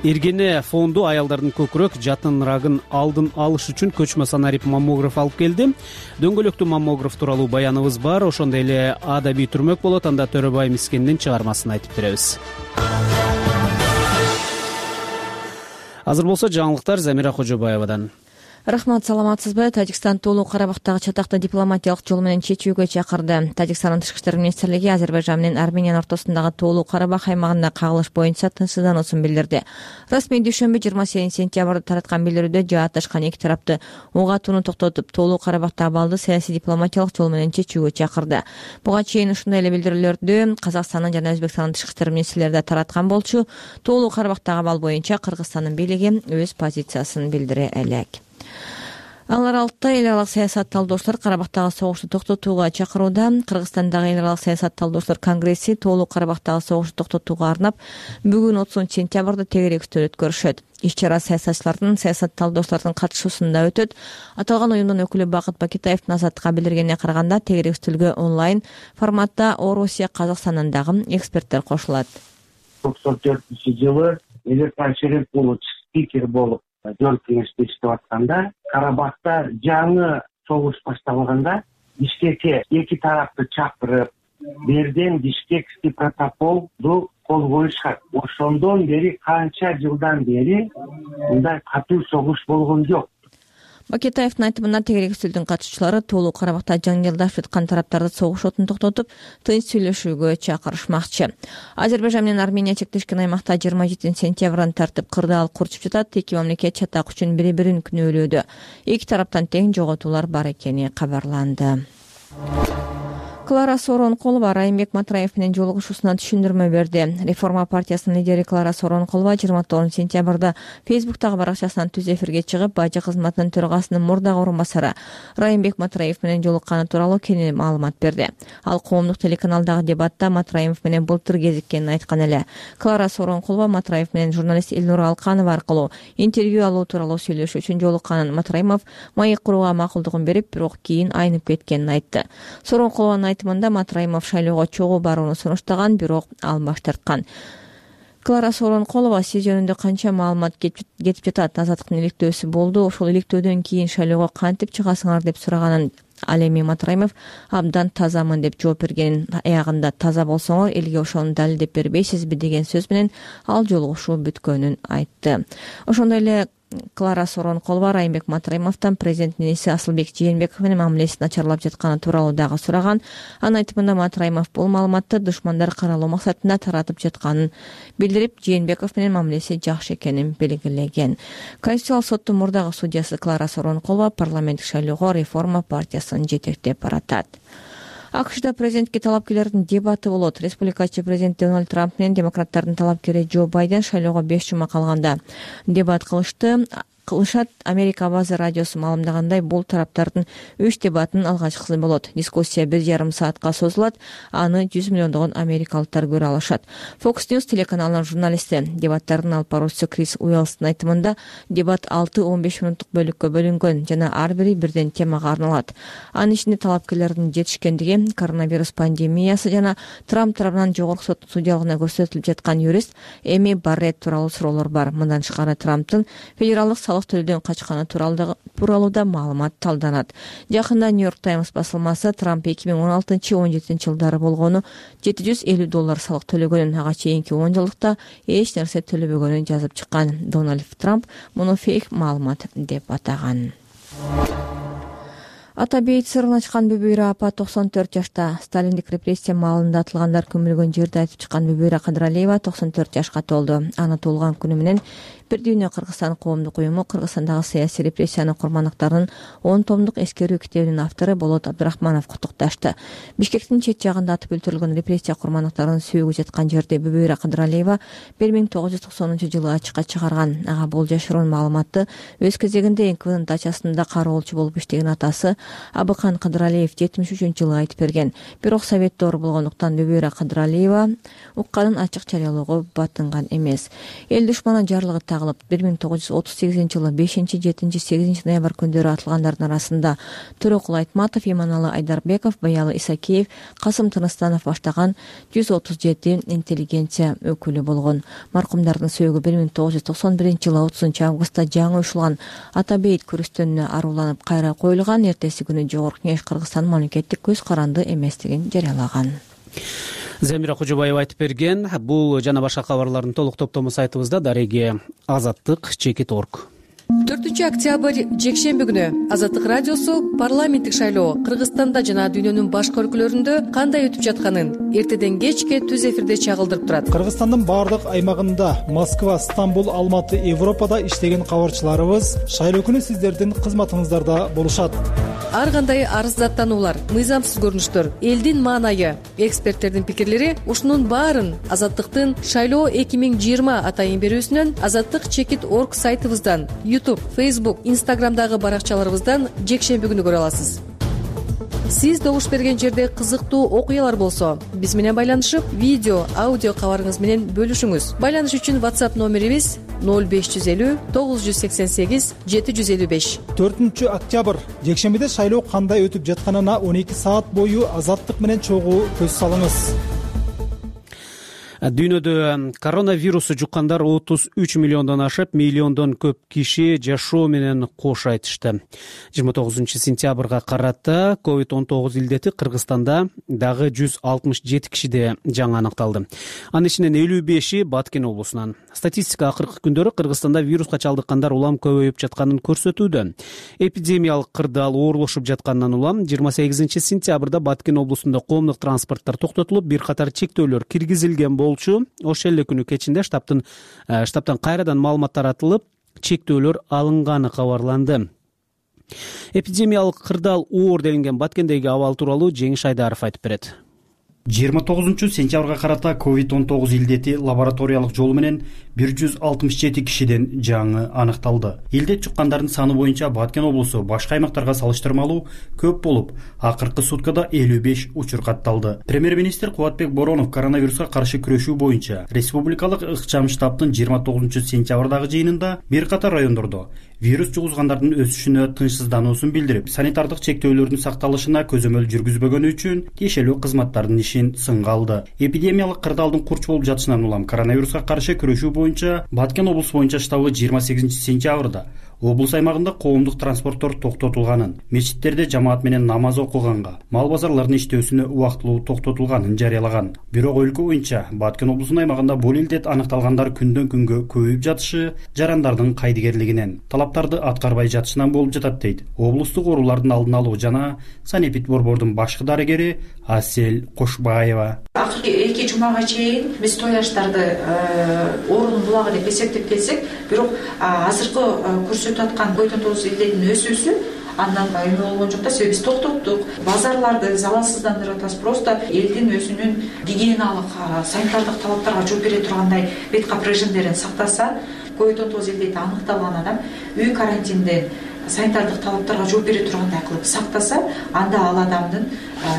Эргене фонду аялдардын көкүрөк жатын рагын алдын алыш үчүн көчмө санарип маммограф алып келди. Дөңгөлөктүү маммограф тууралуу баяныбыз бар. Ошондой эле адабий түрмөк болот. Анда Төрөбай Мискендин чыгармасын айтып беребиз. Азыр болсо жаңылыктар Замира Кожобаевадан. Рахмат, саламатсызбы? Тажикстан Тоолуу Карабактагы чатакты дипломатиялык жол менен чечүүгө чакырды. Тажикстандын тышкы иштер министрлиги Азербайжан менен Армениянын ортосундагы Тоолуу Карабак аймагында кагылыш боюнча тынчсыздануусун билдирди. Расмий дүйшөмбү 28 сентябрда тараткан билдирүүдө жаатташкан эки тарапты ок атууну токтотуп, Тоолуу Карабактагы абалды саясий дипломатиялык жол менен чечүүгө чакырды. Буга чейин ушундай эле билдирүүлөрдү Казакстандын жана Өзбекстандын тышкы иштер министрлери да тараткан болчу. Тоолуу Карабактагы абал боюнча Кыргызстандын бийлиги өз позициясын билдире элек. Ал аралыкта эл аралык саясат талдоочулар Карабактагы согушту токтотууга чакырууда. Кыргызстандагы эл аралык саясат талдоочулар конгресси Тоолуу Карабактагы согушту токтотууга арнап бүгүн 30 сентябрда тегерек үстөл өткөрүшөт. Иш-чара саясатчылардын, саясат талдоочулардын катышуусунда өтөт. Аталган уюмдун өкүлү Бакыт Бакитаевдин Азаттыкка билдиргенине караганда, тегерек үстөлгө онлайн форматта Орусия, Казакстандан дагы эксперттер кошулат. 94-жылы Электан Шеремпулович спикер болуп жогорку кеңеште иштеп атканда, Карабакта жаңы согуш башталганда Бишкекке эки тарапты чакырып, берден Бишкекский протоколду кол коюшат. Ошондон бери канча жылдан бери мындай катуу согуш болгон жок. Бакетаевдин айтымында, тегерек үстөлдүн катышуучулары Тоолуу Карабакта жаңжалдашып жаткан тараптарды согуш отун токтотуп, тынч сүйлөшүүгө чакырышмакчы. Азербайжан менен Армения чектешкен аймакта 27 сентябрдан тартып кырдаал курчуп жатат. Эки мамлекет чатак үчүн бири-бирин күнөөлөөдө. Эки тараптан тең жоготуулар бар экени кабарланды. Клара Сооронкулова Райымбек Матраев менен жолугушуусуна түшүндүрмө берди. Реформа партиясынын лидери Клара Сооронкулова 29 сентябрда Фейсбуктагы баракчасынан түз эфирге чыгып, бажы кызматынын төрагасынын мурдагы орун басары Райымбек Матраев менен жолукканы тууралуу кеңири маалымат берди. Ал коомдук телеканалдагы дебатта Матраев менен былтыр кезиккенин айткан эле. Клара Сооронкулова Матраев менен журналист Элнура Алканова аркылуу интервью алуу тууралуу сүйлөшүү үчүн жолукканын, Матраев маек курууга макулдугун берип, бирок кийин айнып кеткенин айтты. Сооронкулованын айтымында Матраимов шайлоого чогуу барууну сунуштаган, бирок ал баш тарткан. Клара Сооронкулова сиз жөнүндө канча маалымат кетип жатат, Азаттыктын иликтөөсү болду, ошол иликтөөдөн кийин шайлоого кантип чыгасыңар деп сураганын, ал эми Матраимов абдан тазамын деп жооп бергенин, аягында таза болсоңор элге ошону далилдеп бербейсизби деген сөз менен ал жолугушуу бүткөнүн айтты. Ошондой эле Клара Сооронкулова Райымбек Матраимовдон президенттин иниси Асылбек Жээнбеков менен мамилеси начарлап жатканы тууралуу дагы сураган. Анын айтымында Матраимов бул маалыматты душмандар каралоо максатында таратып жатканын билдирип, Жээнбеков менен мамилеси жакшы экенин белгилеген. Конституциялык соттун мурдагы судьясы Клара Сооронкулова парламенттик шайлоого Реформа партиясын жетектеп баратат. АКШда президентке талапкерлердин дебаты болот. Республикачы президент Дональд Трамп менен демократтардын талапкери Джо Байден шайлоого 5 жума калганда дебат кылышты. кылышат. Америка База радиосу маалымдагандай, бул тараптардын 3 дебатынын алгачкысы болот. Дискуссия 1,5 саатка созулат. Аны 100 миллиондогон америкалыктар көрө алышат. Fox News телеканалынын журналисти, дебаттардын алып баруучусу Крис Уэллстын айтымында, дебат 6-15 мүнөттүк бөлүккө бөлүнгөн жана ар бири бирден темага арналат. Анын ичинде талапкерлердин жетишкендиги, коронавирус пандемиясы жана Трамп тарабынан жогорку соттун судьялыгына көрсөтүлүп жаткан юрист Эми Барретт тууралуу суроолор бар. Мындан тышкары Трамптын федералдык салык төлөөдөн качканы тууралуу да маалымат талданат. Жакында New York Times басылмасы Трамп 2016-17 жылдары болгону $750 салык төлөгөнүн, ага чейинки 10 жылдыкта эч нерсе төлөбөгөнүн жазып чыккан. Дональд Трамп муну фейк маалымат деп атаган. Ата бейит сырын ачкан Бүбүйра апа 94 жашта. Сталиндик репрессия маалында атылгандар көмүлгөн жерде айтып чыккан Бүбүйра Кадыралиева 94 жашка толду. Аны туулган күнү менен Бир дүйнө Кыргызстан коомдук уюму Кыргызстандагы саясий репрессиянын курмандыктарынын 10 томдук эскерүү китебинин автору Болот Абдрахманов куттукташты. Бишкектин чет жагында атып өлтүрүлгөн репрессия курмандыктарынын сүйөгү жаткан жерде Бүбүйра Кадыралиева 1990-жылы ачыкка чыгарган. Ага бул жашыруун маалыматты өз кезегинде НКВдын дачасында кароолчу болуп иштеген атасы Абыкан Кадыралиев 73-жылы айтып берген. Бирок совет доору болгондуктан Бүбүйра Кадыралиева укканын ачык жарыялоого батынган эмес. Эл душманы жарлыгы 1938-жылы 5-7-8 ноябрь күндөрү атылгандардын арасында Төрөкул Айтматов, Иманалы Айдарбеков, Баялы Исакеев, Касым Тыныстанов баштаган 137 интеллигенция өкүлү болгон. Маркумдардын сөөгү 1991-жылы 30-августта жаңы уюшулган Ата бейит көрүстөнүнө аруланып кайра коюлган. Эртеси күнү Жогорку Кеңеш Кыргызстан мамлекеттик көз каранды эместигин жарыялаган. Замира Кожобаева айтып берген. Бул жана башка кабарлардын толук топтому сайтыбызда дареги azattik.org. 4-октябрь жекшемби күнү Азаттык радиосу парламенттик шайлоо Кыргызстанда жана дүйнөнүн башка өлкөлөрүндө кандай өтүп жатканын эртеден кечке түз эфирде чагылдырып турат. Кыргызстандын баардык аймагында Москва, Стамбул, Алматы, Европада иштеген кабарчыларыбыз шайлоо күнү сиздердин кызматыңыздарда болушат. Ар кандай арыздаттануулар, мыйзамсыз көрүнүштөр, элдин маанайы, эксперттердин пикирлери ушунун баарын Азаттыктын шайлоо 2020 атайын берүүсүнөн azattik.org сайтыбыздан, YouTube, Facebook, Instagramдагы баракчаларыбыздан жекшемби күнү көрө аласыз. Сиз добуш берген жерде кызыктуу окуялар болсо, биз менен байланышып, видео, аудио кабарыңыз менен бөлүшүңүз. Байланыш үчүн WhatsApp номерибиз 0550 988 755. 4-октябрь жекшембиде шайлоо кандай өтүп жатканына 12 саат бою Азаттык менен чогуу көз салыңыз. Дүйнөдө коронавирусу жуккандар 33 миллиондон ашып, миллиондон көп киши жашоо менен кош айтышты. 29-сентябрга карата COVID-19 илдети Кыргызстанда дагы 167 кишиде жаңы аныкталды. Анын ичинен 55-и Баткен облусунан. Статистика акыркы күндөрү Кыргызстанда вируска чалдыккандар улам көбөйүп жатканын көрсөтүүдө. Эпидемиялык кырдаал оорлошуп жатканынан улам 28-сентябрда Баткен облусунда коомдук транспорттор токтотулуп, бир катар чектөөлөр киргизилген болчу. Ошол эле күнү кечинде штабтан кайрадан маалымат таратылып, чектөөлөр алынганы кабарланды. Эпидемиялык кырдаал оор делинген Баткендеги абал тууралуу Жеңиш Айдаров айтып берет. 29-сентябрга карата COVID-19 илдети лабораториялык жолу менен 167 кишиден жаңы аныкталды. Илдет жуккандардын саны боюнча Баткен облусу башка аймактарга салыштырмалуу көп болуп, акыркы суткада 55 учур катталды. Премьер-министр Кубатбек Боронов коронавируска каршы күрөшүү боюнча республикалык ыкчам штабтын 29-сентябрдагы жыйынында бир катар райондордо вирус жугузгандардын өсүшүнө тынчсыздануусун билдирип, санитардык чектөөлөрдүн сакталышына көзөмөл жүргүзбөгөнү үчүн тиешелүү кызматтардын ишин сынга алды. Эпидемиялык кырдаалдын курч болуп жатышынан улам коронавируска каршы күрөшүү боюнча Баткен облусу боюнча штабы 28-сентябрда облус аймагында коомдук транспорттор токтотулганын, мечиттерде жамаат менен намаз окуганга, мал базарлардын иштөөсүнө убактылуу токтотулганын жарыялаган. Бирок өлкө боюнча Баткен облусунун аймагында бул илдет аныкталгандар күндөн күнгө көбөйүп жатышы жарандардын кайдыгерлигинен, талаптарды аткарбай жатышынан болуп жатат дейт облустук оорулардын алдын алуу жана санэпид борбордун башкы дарыгери Асел Кошбаева. Акыркы 2 жумага чейин биз тояштарды оорунун булагы деп эсептеп келсек, бирок азыркы көрсөтүп аткан COVID-19 илдетинин өсүүсү андан эме болгон жок да, себеби биз токтоттук. Базарларды залалсыздандырып атабыз. Просто элдин өзүнүн гигиеналык, санитардык талаптарга жооп бере тургандай бет кап режимдерин сактаса, COVID-19 илдети аныкталган адам үй карантинден санитардык талаптарга жооп бере тургандай кылып сактаса, анда ал адамдын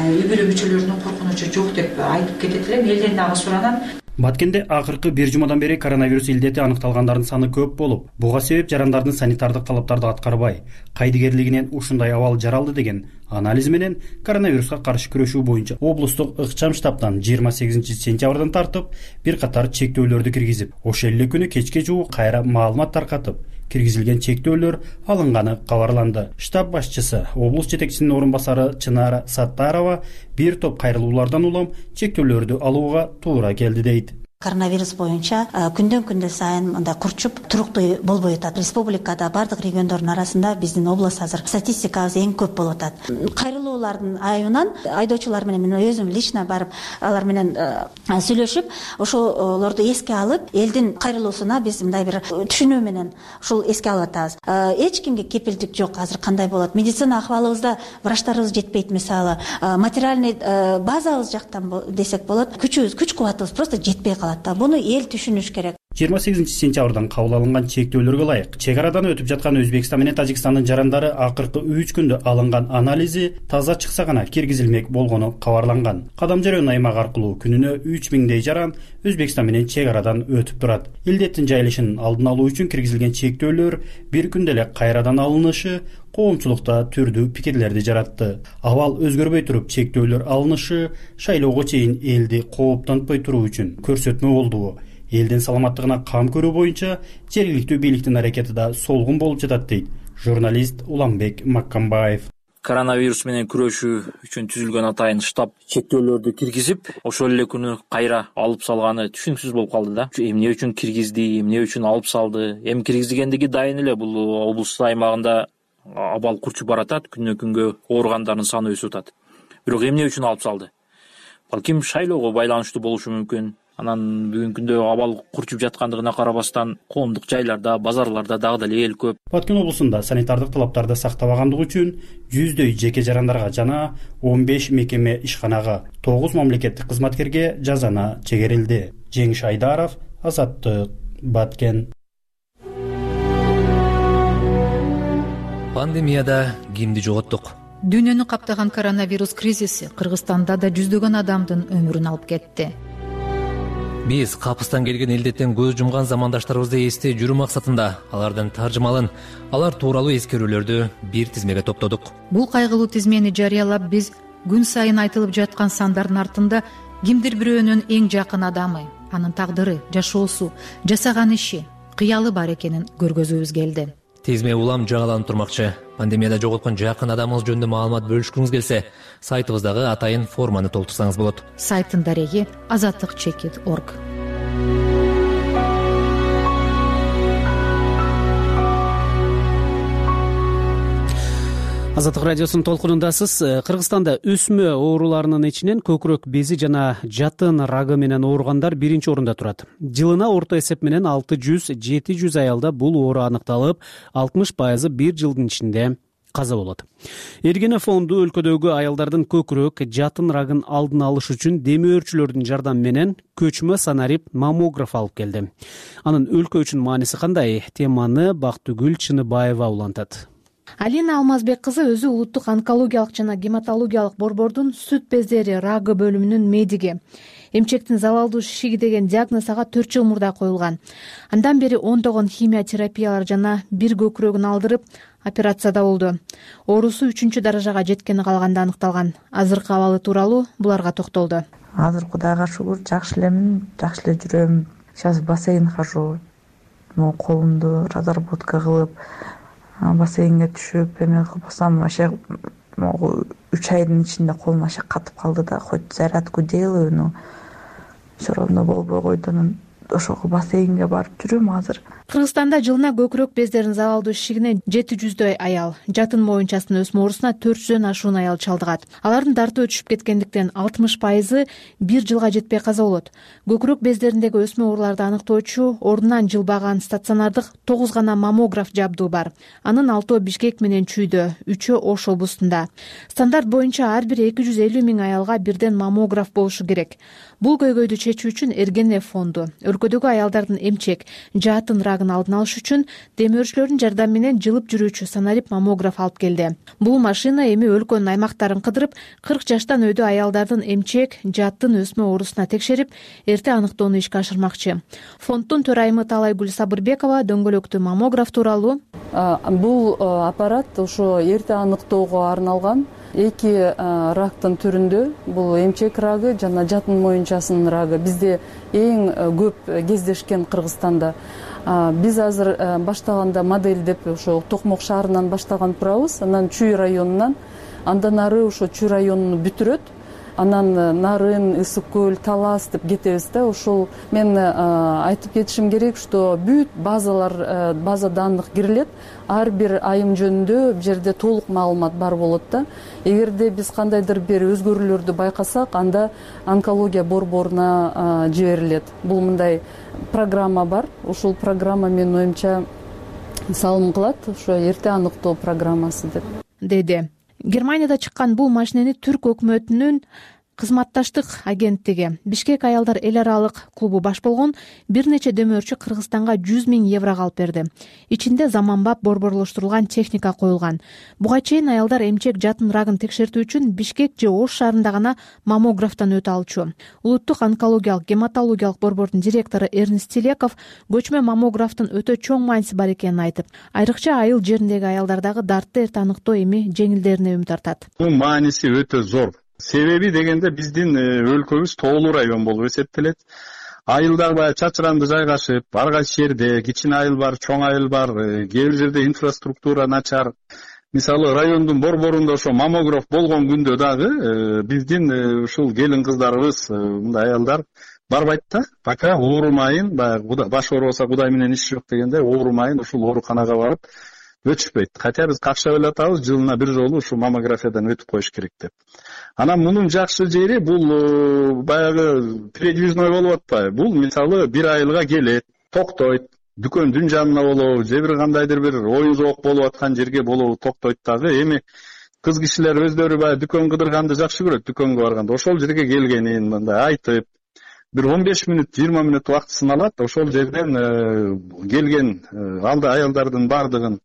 үй бүлө мүчөлөрүнүн коркунучу жок деп айтып кетет элем. Элден дагы суранам. Баткенде акыркы 1 жумадан бери коронавирус илдети аныкталгандардын саны көп болуп, буга себеп жарандардын санитардык талаптарды аткарбай, кайдыгерлигинен ушундай абал жаралды деген анализ менен коронавируска каршы күрөшүү боюнча облустук ыкчам штабтан 28 сентябрдан тартып бир катар чектөөлөрдү киргизип, ошол эле күнү кечке жугу кайра маалымат таркатып, киргизилген чектөөлөр алынганы кабарланды. Штаб башчысы, облус жетекчисинин орун басары Чынара Саттарова бир топ кайрылуулардан улам чектөөлөрдү алууга туура келди дейт. Коронавирус боюнча күндөн күндө сайын мындай курчуп туруктуу болбой атат. Республикада бардык региондордун арасында биздин област азыр статистикабыз эң көп болуп атат. Кайрылуулардын айынан айдоочулар менен мен өзүм лично барып алар менен сүйлөшүп, ошолорду эске алып, элдин кайрылуусуна биз мындай бир түшүнүү менен ушул эске алып атабыз. Эч кимге кепилдик жок азыр кандай болот. Медицина акыбалыбызда врачтарыбыз жетпейт, мисалы, материальный базабыз жактан десек болот. Күч кубатыбыз просто жетпей калат. Буну эл түшүнүш керек. 28 сентябрдан кабыл алынган чектөөлөргө ылайык чек арадан өтүп жаткан Өзбекстан менен Тажикстандын жарандары акыркы 3 күндө алынган анализи таза чыкса гана киргизилмек болгону кабарланган. Кадам жаран аймак аркылуу күнүнө 3000дей жаран Өзбекстан менен чек арадан өтүп турат. Илдеттин жайылышын алдын алуу үчүн киргизилген чектөөлөр бир күндө эле кайрадан алынышы коомчулукта түрдүү пикирлерди жаратты. Абал өзгөрбөй туруп чектөөлөр алынышы шайлоого чейин элди кооптонтпой туруу үчүн көрсөтмө болду. Элдин саламаттыгына кам көрүү боюнча жергиликтүү бийликтин аракети да солгун болуп жатат дейт журналист Уламбек Маккамбаев. Коронавирус менен күрөшүү үчүн түзүлгөн атайын штаб чектөөлөрдү киргизип, ошол эле күнү кайра алып салганы түшүнүксүз болуп калды да. Эмне үчүн киргизди, эмне үчүн алып салды? Эми киргизилгендиги дайын эле. Бул облус аймагында абал курчуп баратат, күнөн күнгө ооругандардын саны өсүп атат. Бирок эмне үчүн алып салды? Балким шайлоого байланыштуу болушу мүмкүн. Анан бүгүнкү күндө абал курчуп жаткандыгына карабастан коомдук жайларда, базарларда дагы деле эл көп. Баткен облусунда санитардык талаптарды сактабагандыгы үчүн 100дөй жеке жарандарга жана 15 мекеме ишканага, 9 мамлекеттик кызматкерге жазана чегерилди. Жеңиш Айдаров, Азаттык, Баткен. Пандемияда кимди жоготтук? Дүйнөнү каптаган коронавирус кризиси Кыргызстанда да жүздөгөн адамдын өмүрүн алып кетти. Биз капыстан келген илдеттен көз жумган замандаштарыбызды эстей жүрүү максатында алардын таржымалын, алар тууралуу эскерүүлөрдү бир тизмеге топтодук. Бул кайгылуу тизмени жарыялап биз күн сайын айтылып жаткан сандардын артында кимдир бирөөнүн эң жакын адамы, анын тагдыры, жашоосу, жасаган иши, кыялы бар экенин көргөзүүбүз келди. Тизме улам жаңыланып турмакчы. Пандемияда жоготкон жакын адамыңыз жөнүндө маалымат бөлүшкүңүз келсе, сайтыбыздагы атайын форманы толтурсаңыз болот. Сайттын дареги azatlyk.org. Азаттык радиосунун толкунундасыз. Кыргызстанда өсмө ооруларынын ичинен көкүрөк бези жана жатын рагы менен ооругандар биринчи орунда турат. Жылына орто эсеп менен 600-700 аялда бул оору аныкталып, 60% бир жылдын ичинде каза болот. Эргене фонду өлкөдөгү аялдардын көкүрөк, жатын рагын алдын алыш үчүн демөөрчүлөрдүн жардамы менен көчмө санарип маммограф алып келди. Анын өлкө үчүн мааниси кандай? Теманы Бактыгүл Чыныбаева улантат. Алина Алмазбек кызы өзү улуттук онкологиялык жана гематологиялык борбордун сүт бездери рагы бөлүмүнүн медиги. Эмчектин залалдуу шишиги деген диагноз ага 4 жыл мурда коюлган. Андан бери ондогон химия терапиялар жана бир көкүрөгүн алдырып операцияда болду. Оорусу 3 даражага жеткени калганда аныкталган. Азыркы абалы тууралуу буларга токтолду. Азыр Кудайга шүгүр жакшы элемин, жакшы эле жүрөм. Сейчас бассейн хожу. Колумду разработка кылып бассейнге түшүп эме кылбасам вообще 3 айдын ичинде колум вообще катып калды да, хоть зарядку делаю, но все равно болбой койду. Ошого бассейнге барып жүрөм азыр. Кыргызстанда жылына көкүрөк бездеринин залалдуу шишигине 700дөй аял, жатын моюнчасынын өсмө оорусуна 400дөн ашуун аял чалдыгат. Алардын дарты өчүп кеткендиктен 60% бир жылга жетпей каза болот. Көкүрөк бездериндеги өсмө ооруларды аныктоочу ордунан жылбаган стационардык 9 гана маммограф жабдуу бар. Анын 6 Бишкек менен Чүйдө, 3 Ош облустунда. Стандарт боюнча ар бир 250 000 аялга бирден маммограф болушу керек. Бул көйгөйдү чечүү үчүн Эргене фонду өлкөдөгү аялдардын эмчек, жатын рагы рагын алдын алыш үчүн демөөрчүлөрдүн жардамы менен жылып жүрүүчү санарип маммограф алып келди. Бул машина эми өлкөнүн аймактарын кыдырып 40 жаштан өйдө аялдардын эмчек, жаттын өсмө оорусуна текшерип, эрте аныктоону ишке ашырмакчы. Фонддун төрайымы Талайгүл Сабырбекова дөңгөлөктүү маммограф тууралуу: бул аппарат ошо эрте аныктоого арналган 2 рактын түрүндө. Бул эмчек рагы жана жатын моюнчасынын рагы бизде эң көп кездешкен Кыргызстанда. Биз азыр баштаганда модельдеп ошо Токмок шаарынан баштаган турабыз, анан Чүй районунан, андан ары ошо Чүй районуну бүтүрөт, анан Нарын, Ысык көл, Талас деп кетебиз да. Ошол мен айтып кетишим керек, что бүт база данных кирилет, ар бир айым жөнүндө бул жерде толук маалымат бар болот да. Эгерде биз кандайдыр бир өзгөрүүлөрдү байкасак, анда онкология борборуна жиберилет. Бул мындай программа бар. Ошол программа менин оюмча салым кылат, ошо эрте аныктоо программасы деп деди. Германияда чыккан бул машинени Түрк өкмөтүнүн кызматташтык агенттиги Бишкек аялдар эл аралык клубу баш болгон бир нече демөөрчү Кыргызстанга 100 000 еврого алып берди. Ичинде заманбап борборлоштурулган техника коюлган. Буга чейин аялдар эмчек, жатын рагын текшертүү үчүн Бишкек же Ош шаарында гана маммографтан өтө алчу. Улуттук онкологиялык гематологиялык борбордун директору Эрнест Телеков көчмө маммографтын өтө чоң мааниси бар экенин айтып, айрыкча айыл жериндеги аялдардагы дартты эрте аныктоо эми жеңилдерине үмүт артат. Бул мааниси өтө зор. Себеби дегенде биздин өлкөбүз тоолуу район болуп эсептелет. Айылдар баягы чачыранды жайгашып, ар кайсы жерде кичине айыл бар, чоң айыл бар, кээ бир жерде инфраструктура начар. Мисалы райондун борборунда ошо маммограф болгон күндө дагы биздин ушул келин кыздарыбыз, мындай аялдар барбайт да. Пока оорумайын, баягы баш оорубаса Кудай менен иш жок дегенде, оорумайын ушул ооруканага барып өтүшпөйт. Хотя биз какшап эле атабыз, жылына бир жолу ушул маммографиядан өтүп коюш керек деп. Анан мунун жакшы жери бул баягы передвижной болуп атпайбы? Бул мисалы бир айылга келет, токтойт, дүкөндүн жанына болобу, же бир кандайдыр бир оюн зоок болуп аткан жерге болобу токтойт дагы. Эми кыз кишилер өздөрү баягы дүкөн кыдырганды жакшы көрөт, дүкөнгө барганда ошол жерге келгенин мындай айтып, бир 15 мүнөт, 20 мүнөт убактысын алат. Ошол жерден келген алда аялдардын бардыгын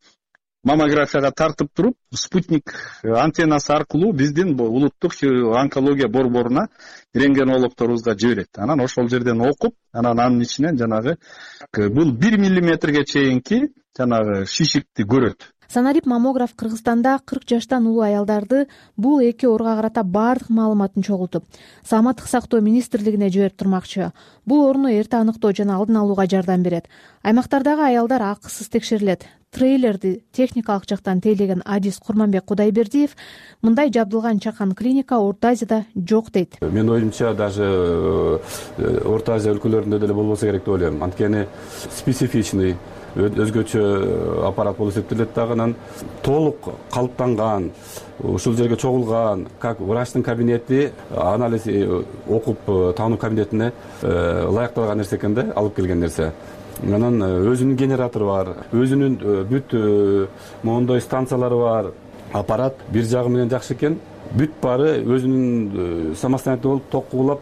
маммографияга тартып туруп, спутник антеннасы аркылуу биздин улуттук онкология борборуна рентгенологторубузга жиберет. Анан ошол жерден окуп, анан анын ичинен жанагы бул 1 миллиметрге чейинки жанагы шишикти көрөт. Санарип маммограф Кыргызстанда 40 жаштан улуу аялдарды бул эки ооруга карата бардык маалыматын чогултуп, Саламаттык сактоо министрлигине жиберип турмакчы. Бул орну эрте аныктоо жана алдын алууга жардам берет. Аймактардагы аялдар акысыз текшерилет. Трейлерди техникалык жактан тейлеген Адис Курманбек Кудайбердиев мындай жабдылган чакан клиника Орто Азияда жок дейт. Мен оюмча даже Орто Азия өлкөлөрүндө деле болбосо керек деп ойлойм. Анткени специфичный өзгөчө аппарат болуп эсептелет дагы, анан толук калыптанган, ушул жерге чогулган, как врачтын кабинети анализ окуп таануу кабинетине ылайыкталган нерсе экен да, алып келген нерсе. Анан өзүнүн генератору бар, өзүнүн бүт моундай станциялары бар. Аппарат бир жагы менен жакшы экен, бүт баары өзүнүн самостоятельный болуп, ток куулап,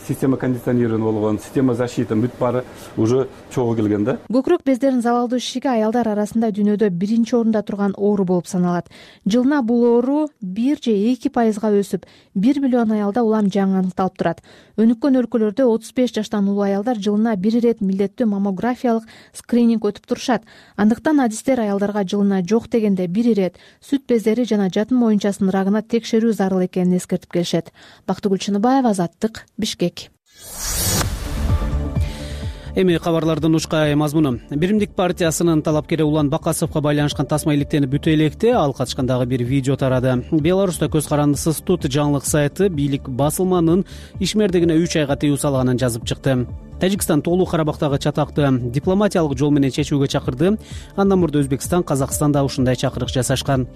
система кондиционирования болгон, система защиты бүт баары уже чогуу келген да. Көкүрөк бездеринин залалдуу шишиги аялдар арасында дүйнөдө биринчи орунда турган оору болуп саналат. Жылына бул оору 1 же 2% өсүп, 1 миллион аялда улам жаңы аныкталып турат. Өнүккөн өлкөлөрдө 35 жаштан улуу аялдар жылына 1 ирет милдеттүү маммографиялык скрининг өтүп турушат. Андыктан адистер аялдарга жылына жок дегенде 1 ирет сүт бездери жана жатын моюнчасынын рагына текшерүү зарыл экенин эскертип келишет. Бактыгүл Чыныбаева, Азаттык, Бишкек. Эми кабарлардын ушкай мазмуну. Биримдик партиясынын талапкери Улан Бакасовго байланышкан тасма иликтенип бүтө электе ал катышкандагы бир видео тарады. Беларуста көз карандысыз Тут жаңылык сайты бийлик басылманын ишмердигине 3 айга тыюу салганын жазып чыкты. Тажикстан тоолуу Карабактагы чатакты дипломатиялык жол менен чечүүгө чакырды. Андан мурда Өзбекстан, Казакстанда ушундай чакырык жасашкан.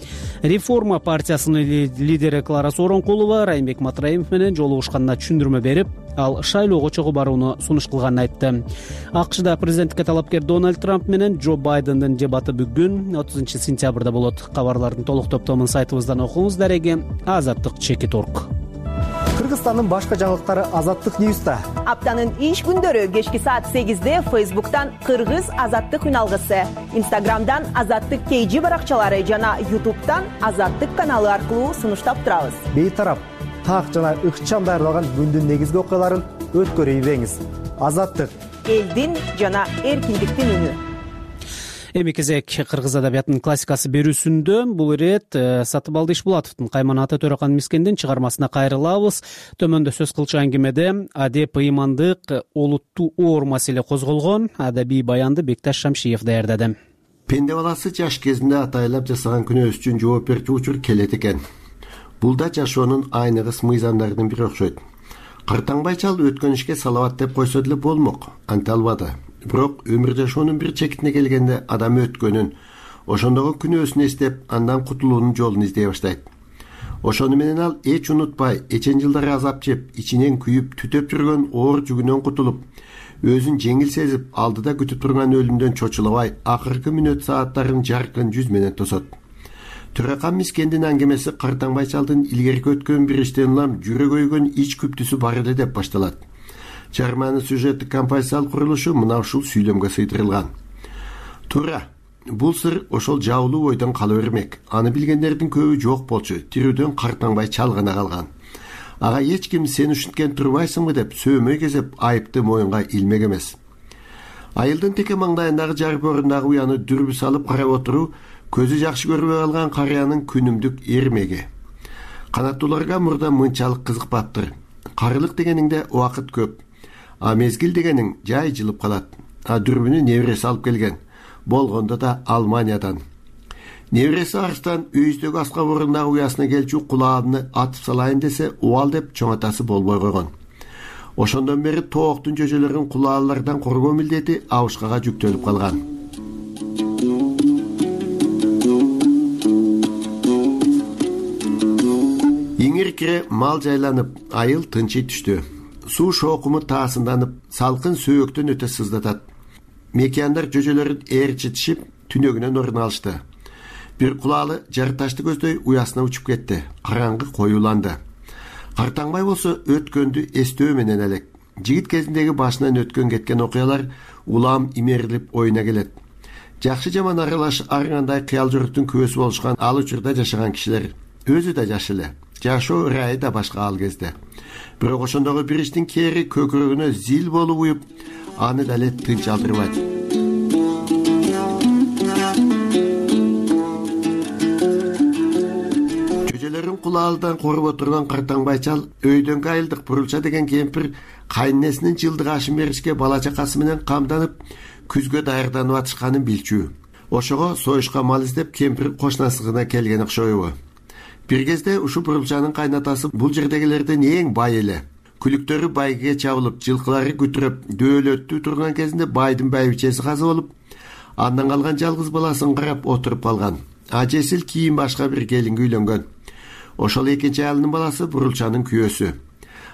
Реформа партиясынын лидери Клара Сооронкулова Райымбек Матраимов менен жолугушканына түшүндүрмө берип, ал шайлоого чогуу барууну сунуш кылганын айтты. АКШда президенттикке талапкер Дональд Трамп менен Джо Байдендин дебаты бүгүн 30-сентябрда болот. Кабарлардын толук топтомун сайтыбыздан окуңуз. Дареги Азаттык _org. Кыргызстандын башка жаңылыктары Азаттык Ньюста. Аптанын иш күндөрү кечки саат 8-де Facebook'тан Кыргыз Азаттык үналгысы, Instagram'дан Азаттык KG баракчалары жана YouTube'дан Азаттык каналы аркылуу сунуштап турабыз. Бейтарап, так жана ыкчам даярдалган күндүн негизги окуяларын өткөрүп ийбеңиз. Азаттык, элдин жана эркиндиктин үнү. Эми кезек кыргыз адабиятынын классикасы берүүсүндө бул ирет Сатыбалды Ишбулатовдун Кайман ата Төрөкан Мискендин чыгармасына кайрылабыз. Төмөндө сөз кылчу аңгемеде адеп ыймандык олуттуу оор маселе козголгон. Адабий баянды Бекташ Шамшиев даярдады. Пенде баласы жаш кезинде атайлап жасаган күнөөсү үчүн жооп берчү учур келет экен. Бул да жашоонун айныгыс мыйзамдарынын бири окшойт. Картаңбай чал өткөн ишке салават деп койсо деле болмок, анте албады. Бирок өмүр жашоонун бир чекитине келгенде адам өткөнүн, ошондогу күнөөсүн эстеп, андан кутулуунун жолун издей баштайт. Ошону менен ал эч унутпай, эчен жылдары азап жеп, ичинен күйүп, түтөп жүргөн оор жүгүнөн кутулуп, өзүн жеңил сезип, алдыда күтүп турган өлүмдөн чочулабай, акыркы мүнөт сааттарын жаркын жүз менен тосот. Төрөкан Мискендин аңгемеси Картаңбай чалдын илгерки өткөн бир иштен улам жүрөк өйгөн ич күптүсү бар эле деп башталат. Чыгарманын сюжеттик композициялык курулушу мына ушул сүйлөмгө сыйдырылган. Туура, бул сыр ошол жаулуу ойдон кала бермек. Аны билгендердин көбү жок болчу, тирүүдөн Картаңбай чал гана калган. Ага эч ким сен ушинткен турбайсыңбы деп сөөмөй кезеп айыпты моюнга илмек эмес. Айылдын теке маңдайындагы жарып орундагы уяны дүрбү салып карап отуруу көзү жакшы көрбөй калган карыянын күнүмдүк эрмеги. Канаттууларга мурда мынчалык кызыкпаптыр. Карылык дегениңде убакыт көп. А мезгил дегениң жай жылып калат. А дүрбүнү небереси алып келген. Болгондо да Алманиядан. Небереси Арстан үйүздөгү аска орундагы уясына келчү кулаабыны атып салайын десе, убал деп чоң атасы болбой койгон. Ошондон бери тооктун жөжөлөрүн кулаалардан коргоо милдети абышкага жүктөлүп калган. Иңир-кире мал жайланып, айыл тынчый түштү. Суу шоокуму таасынданып, салкын сөөктөн өтө сыздатат. Мекияндар жөжөлөрүн ээрчитишип, түнөгүнөн орун алышты. Бир кулаалы жарташты көздөй уясына учуп кетти. Караңгы коюланды. Картаңбай болсо өткөндү эстөө менен элек. Жигит кезиндеги башынан өткөн кеткен окуялар улам имерилип оюна келет. Жакшы жаман аралаш ар кандай кыял жөрөктүн күбөсү болушкан ал учурда жашаган кишилер. Өзү да жаш эле. Жашоо ырайы да башка ал кезде. Бирок ошондогу бир иштин кери көкүрөгүнө зил болуп уюп, аны дале тынч алдырбайт. Жөжөлөрүн кулаалдан коруп отурган Картаңбай чал өйдөнгө айылдык Бурулча деген кемпир кайненесинин жылдык ашын беришке бала чакасы менен камданып, күзгө даярданып атышканын билчү. Ошого союшка мал издеп кемпир кошунасына келген окшойбу. Бир кезде ушу Бурулчанын кайнатасы бул жердегилердин эң бай эле. Күлүктөрү байгеге чабылып, жылкылары күтүрөп, дөөлөттүү турган кезинде байдын байбичеси казы болуп, андан калган жалгыз баласын карап отуруп калган. Ажесил кийин башка бир келинге үйлөнгөн. Ошол экинчи аялынын баласы Бурулчанын күйөөсү.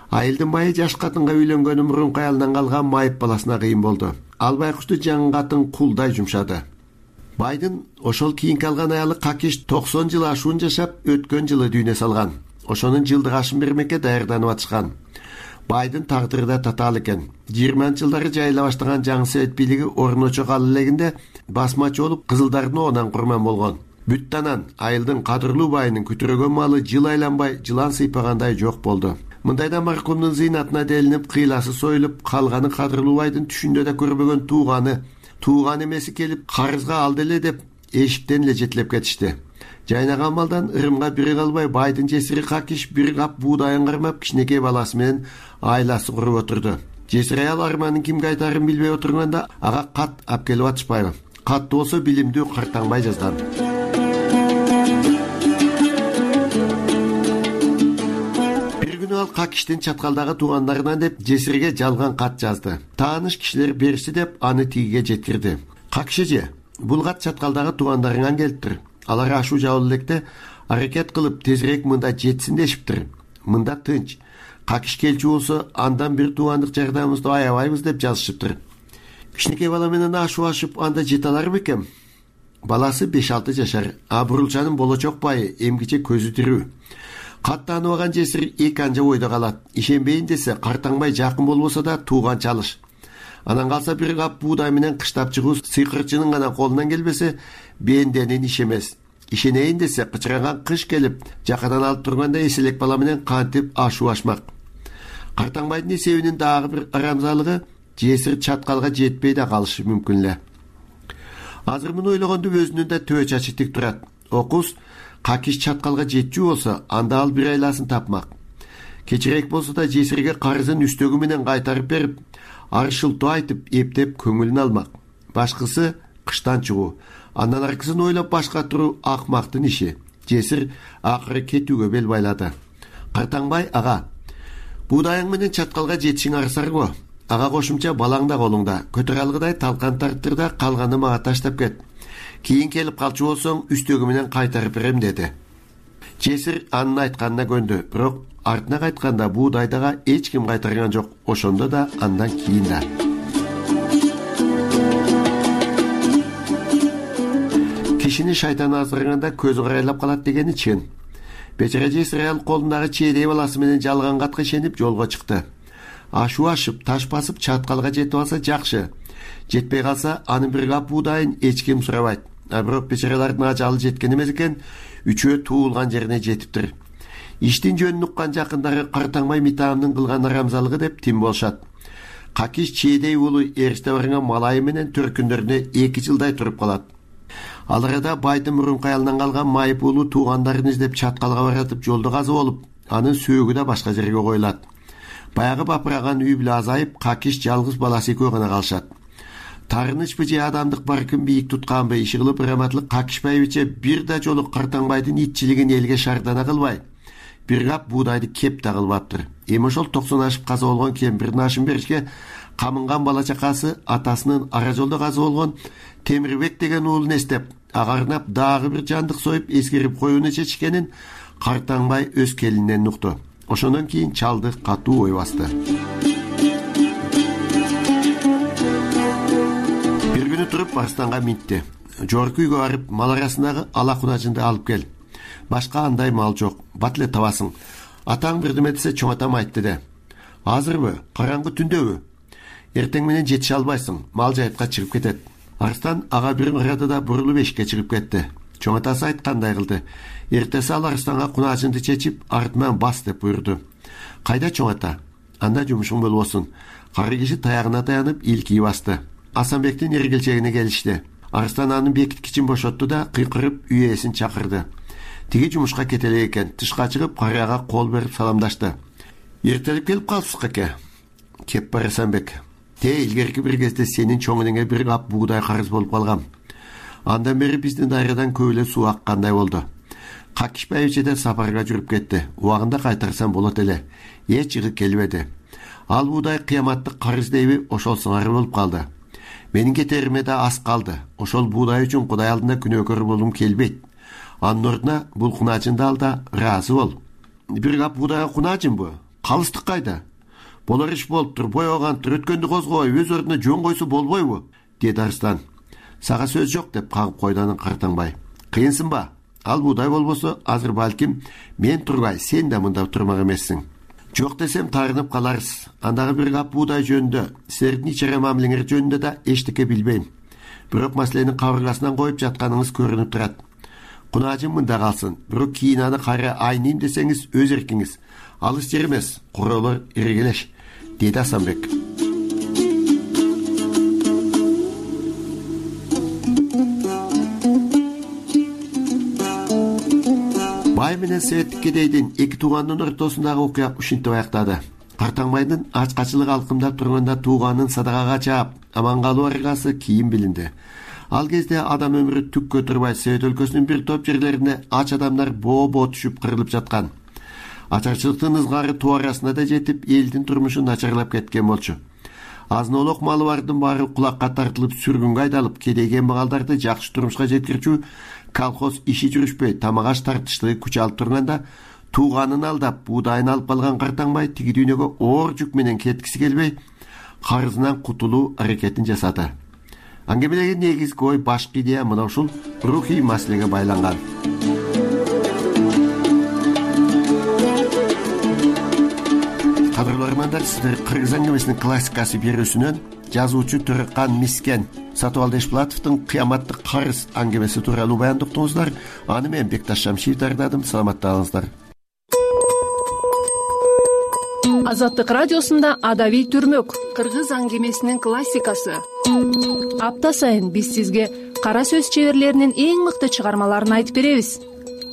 Айылдын байы жаш катынга үйлөнгөнү мурунку аялынан калган майып баласына кыйын болду. Ал байкушту жаңы катын кулдай жумшады. Байдын ошол кийинки алган аялы Какиш 90 жыл ашуун жашап, өткөн жылы дүйнө салган. Ошонун жылдык ашын бермекке даярданып атышкан. Байдын тагдыры да татаал экен. 20-жылдары жайыла баштаган жаңы совет бийлиги орночо кала элегинде басмачы болуп, кызылдардын оонан курман болгон. Бүттанан айылдын кадырлуу байынын күтүрөгөн малы жыл айланбай, жылан сыйпагандай жок болду. Мындайда маркумдун зыйнатына делинип, кыйласы союлуп, калганы кадырлуу байдын түшүндө да көрбөгөн тууган эмеси келип, карызга алды эле деп эшиктен эле жетилеп кетишти. Жайнаган малдан ырымга бири калбай байдын жесири Какиш бир кап буудайын кармап кичинекей баласы менен айласы куруп отурду. Жесир аял арманын кимге айтарын билбей отурганда ага кат алып атышпайбы. Катты болсо билимдүү Картаңбай жазган. Ал Какиштин чаткалдагы туугандарынан деп жесирге жалган кат жазды. Тааныш кишилер беришти деп аны тигиге жеткирди. Какиш, бул кат чаткалдагы туугандарыңан келиптир. Алар ашуу жабыл электе аракет кылып тезирээк мында жетсин дешиптир. Мында тынч. Какиш келчү болсо андан бир туугандык жардамыбызды аябайбыз деп жазышыптыр. Кичинекей бала менен ашуу ашып анда жете алар бекем? Баласы 5-6 жашар. А Бурулчанын болочок байы эмгиче көзү тирүү. каттаныбаган жесир эки анжа ойдо калат. Ишенбейин десе Картаңбай жакын болбосо да тууган чалыш. Анан калса бир кап буудай менен кыштап чыгуу сыйкырчынын гана колунан келбесе бенденин иш эмес. Ишенейин десе кычыраган кыш келип жакадан алып турганда эселек бала менен кантип ашуу ашмак. Картаңбайдын эсебинин дагы бир арамзалыгы жесир чаткалга жетпей да калышы мүмкүн эле. Азыр муну ойлогондо өзүнүн да төбө чачы тик турат. Окус какиш чаткалга жетчү болсо, анда ал бир айласын тапмак. Кечирээк болсо да жесирге карызын үстөгү менен кайтарып берип, аршылтуу айтып, эптеп көңүлүн алмак. Башкысы кыштан чыгуу, андан аркысын ойлоп башка туруу акмактын иши. Жесир акыры кетүүгө бел байлады. Картаңбай ага, буудайың менен чаткалга жетишиң арсар го. Ага кошумча балаң да колуңда. Көтөрө алгыдай талкан тартыр да калганы мага таштап кет. Кийин келип калчу болсоң үстөгү менен кайтарып берем деди. Жесир анын айтканына көндү, бирок артына кайтканда буудайдага эч ким кайтарган жок. Ошондо да андан кийин да. Кишини шайтан аздырганда көзү карайлап калат дегени чын. Бечара жесир аял колундагы чейдей баласы менен жалган катка ишенип жолго чыкты. Ашуу ашып, таш басып чаткалга жетип алса жакшы. Жетпей калса анын бир кап буудайын эч ким сурабайт. Бирок бечаралардын ажалы жеткен эмес экен, үчөө туулган жерине жетиптир. Иштин жөнүн уккан жакындары Картаңбай Митаамдын кылган арамзалыгы деп тим болушат. Какиш чейдей уулу эриште барган малайы менен төркүндөрүнө 2 жылдай туруп калат. Ал арада байдын мурунку аялынан калган майып уулу туугандарын издеп чаткалга баратып жолдо каза болуп, анын сөөгү да башка жерге коюлат. Баягы бапыраган үй бүлө азайып, Какиш жалгыз баласы экөө гана калышат. Тарынычпы же адамдык баркын бийик тутканбы иши кылып Раматлык Какишбаевиче бир да жолу Картаңбайдын итчилигин элге шардана кылбай, бир кап буудайды кеп да кылбаптыр. Эми ошол 90 ашып каза болгон кемпирдин ашын беришке камынган бала чакасы атасынын ара жолдо каза болгон Темирбек деген уулун эстеп, агарнап дагы бир жандык союп эскерип коюуну чечкенин Картаңбай өз келининен укту. Ошондон кийин чалды катуу ой басты. Бир күнү туруп Арстанга минтти. Жогорку үйгө барып, мал арасындагы ала кунажынды алып кел. Башка андай мал жок. Бат эле табасың. Атаң бирдеме десе чоң атам айтты де. Азырбы, караңгы түндөбү? Эртең менен жетише албайсың. Мал жайытка чыгып кетет. Арстан ага бир арада да бурулуп эшикке чыгып кетти. Чоң атасы айткандай кылды. Эртеси ал Арстанга кунажынды чечип, артынан бас деп буйрду. Кайда чоң ата? Анда жумушуң болбосун. Кары киши таягына таянып илкий басты. Асанбектин эргилчегине келишти. Арстан анын бекиткичин бошотту да кыйкырып үйээсин чакырды. Тиги жумушка кете элек экен. Тышка чыгып карыяга кол берип саламдашты. Эртелип келип калыпсыз эке. Кеп бар Асанбек. Илгерки бир кезде сенин чоңуңа бир кап буудай карыз болуп калгам. Андан бери биздин дайрадан көп эле суу аккандай болду. Какишбаевичеден сапарга жүрүп кетти. Убагында кайтарсам болот эле. Эч чыгып келбеди. Ал буудай кыяматтык карыз дейби, ошол сыңары болуп калды. Менин кетериме да аз калды. Ошол буудай үчүн Кудай алдында күнөөкөр болгум келбейт. Анын ордуна бул кунажынды ал да ыраазы бол. Бир кап буудайга кунажынбы? Калыстык кайда? Болор иш болуптур, боёгантыр, өткөндү козгой, өз ордуна жөн койсо болбойбу? Деди Арстан. Сага сөз жок деп кагып койду анын Картаңбай. Кыйынсыңбы? Ал буудай болбосо, азыр балким мен турбай, сен да мында турмак эмессиң. Жок десем тарынып каларсыз. Андагы бир кап буудай жөнүндө, силердин ичере мамилеңер жөнүндө да эчтеке билбейм. Бирок маселенин кабыргасынан коюп жатканыңыз көрүнүп турат. Кунажын мында калсын, бирок кийин аны кайра айнейм десеңиз өз эркиңиз. Алыс жер эмес, куролор иргелеш, деди Асанбек. Бай менен Севеттик кедейдин эки туугандын ортосундагы окуя ушинтип аяктады. Картаңбайдын ачкачылык алкымдап турганда тууганын садакага чаап, аман калуу аргасы кийин билинди. Ал кезде адам өмүрү түккө турбай Совет өлкөсүнүн бир топ жерлерине ач адамдар боо түшүп кырылып жаткан. Ачарчылыктын ызгары туу арасына да жетип, элдин турмушу начарлап кеткен болчу. Азын-олок малы бардын баары кулакка тартылып, сүргүнгө айдалып, кедейген багалдарды жакшы турмушка жеткирчү колхоз иши жүрүшпөй, тамагаш тартыштыгы күч алып турганда, тууганын алдап, буудайын алып калган Картаңбай тиги дүйнөгө оор жүк менен кеткиси келбей, карызынан кутулуу аракетин жасады. Аңгемелеги негизги ой, башкы идея мына ушул рухий маселеге байланган. угармандар, сиздер кыргыз аңгемесинин классикасы берүүсүнөн жазуучу Төркан Мискен Сатыбалды Эшплатовдун Кыяматтык карыз аңгемеси тууралуу баяндап уктуңуздар. Аны мен Бекташ Шамшиев даярдадым. Саламаттаңыздар. Азаттык радиосунда Адабий түрмөк кыргыз аңгемесинин классикасы. Апта сайын биз сизге кара сөз чеберлеринин эң мыкты чыгармаларын айтып беребиз.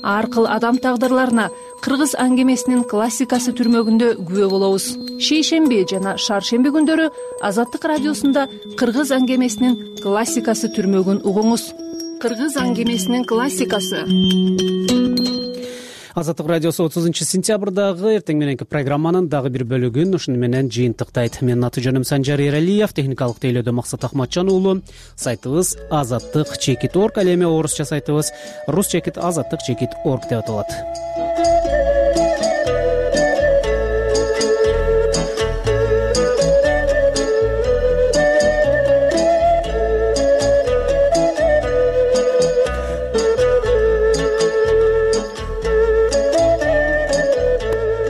Ар кыл адам тагдырларына кыргыз аңгемесинин классикасы түрмөгүндө күбө болобуз. Шейшемби жана шаршемби күндөрү Азаттык радиосунда кыргыз аңгемесинин классикасы түрмөгүн угуңуз. Кыргыз аңгемесинин классикасы. Азаттык радиосу 30-сентябрдагы эртең мененки программанын дагы бир бөлүгүн ушуну менен жыйынтыктайт. Менин аты жөнүм Санжар Эралиев, техникалык тейлөөдө Максат Ахматжан уулу. Сайтыбыз azattik.org, ал эми орусча сайтыбыз rus.azattik.org деп аталат.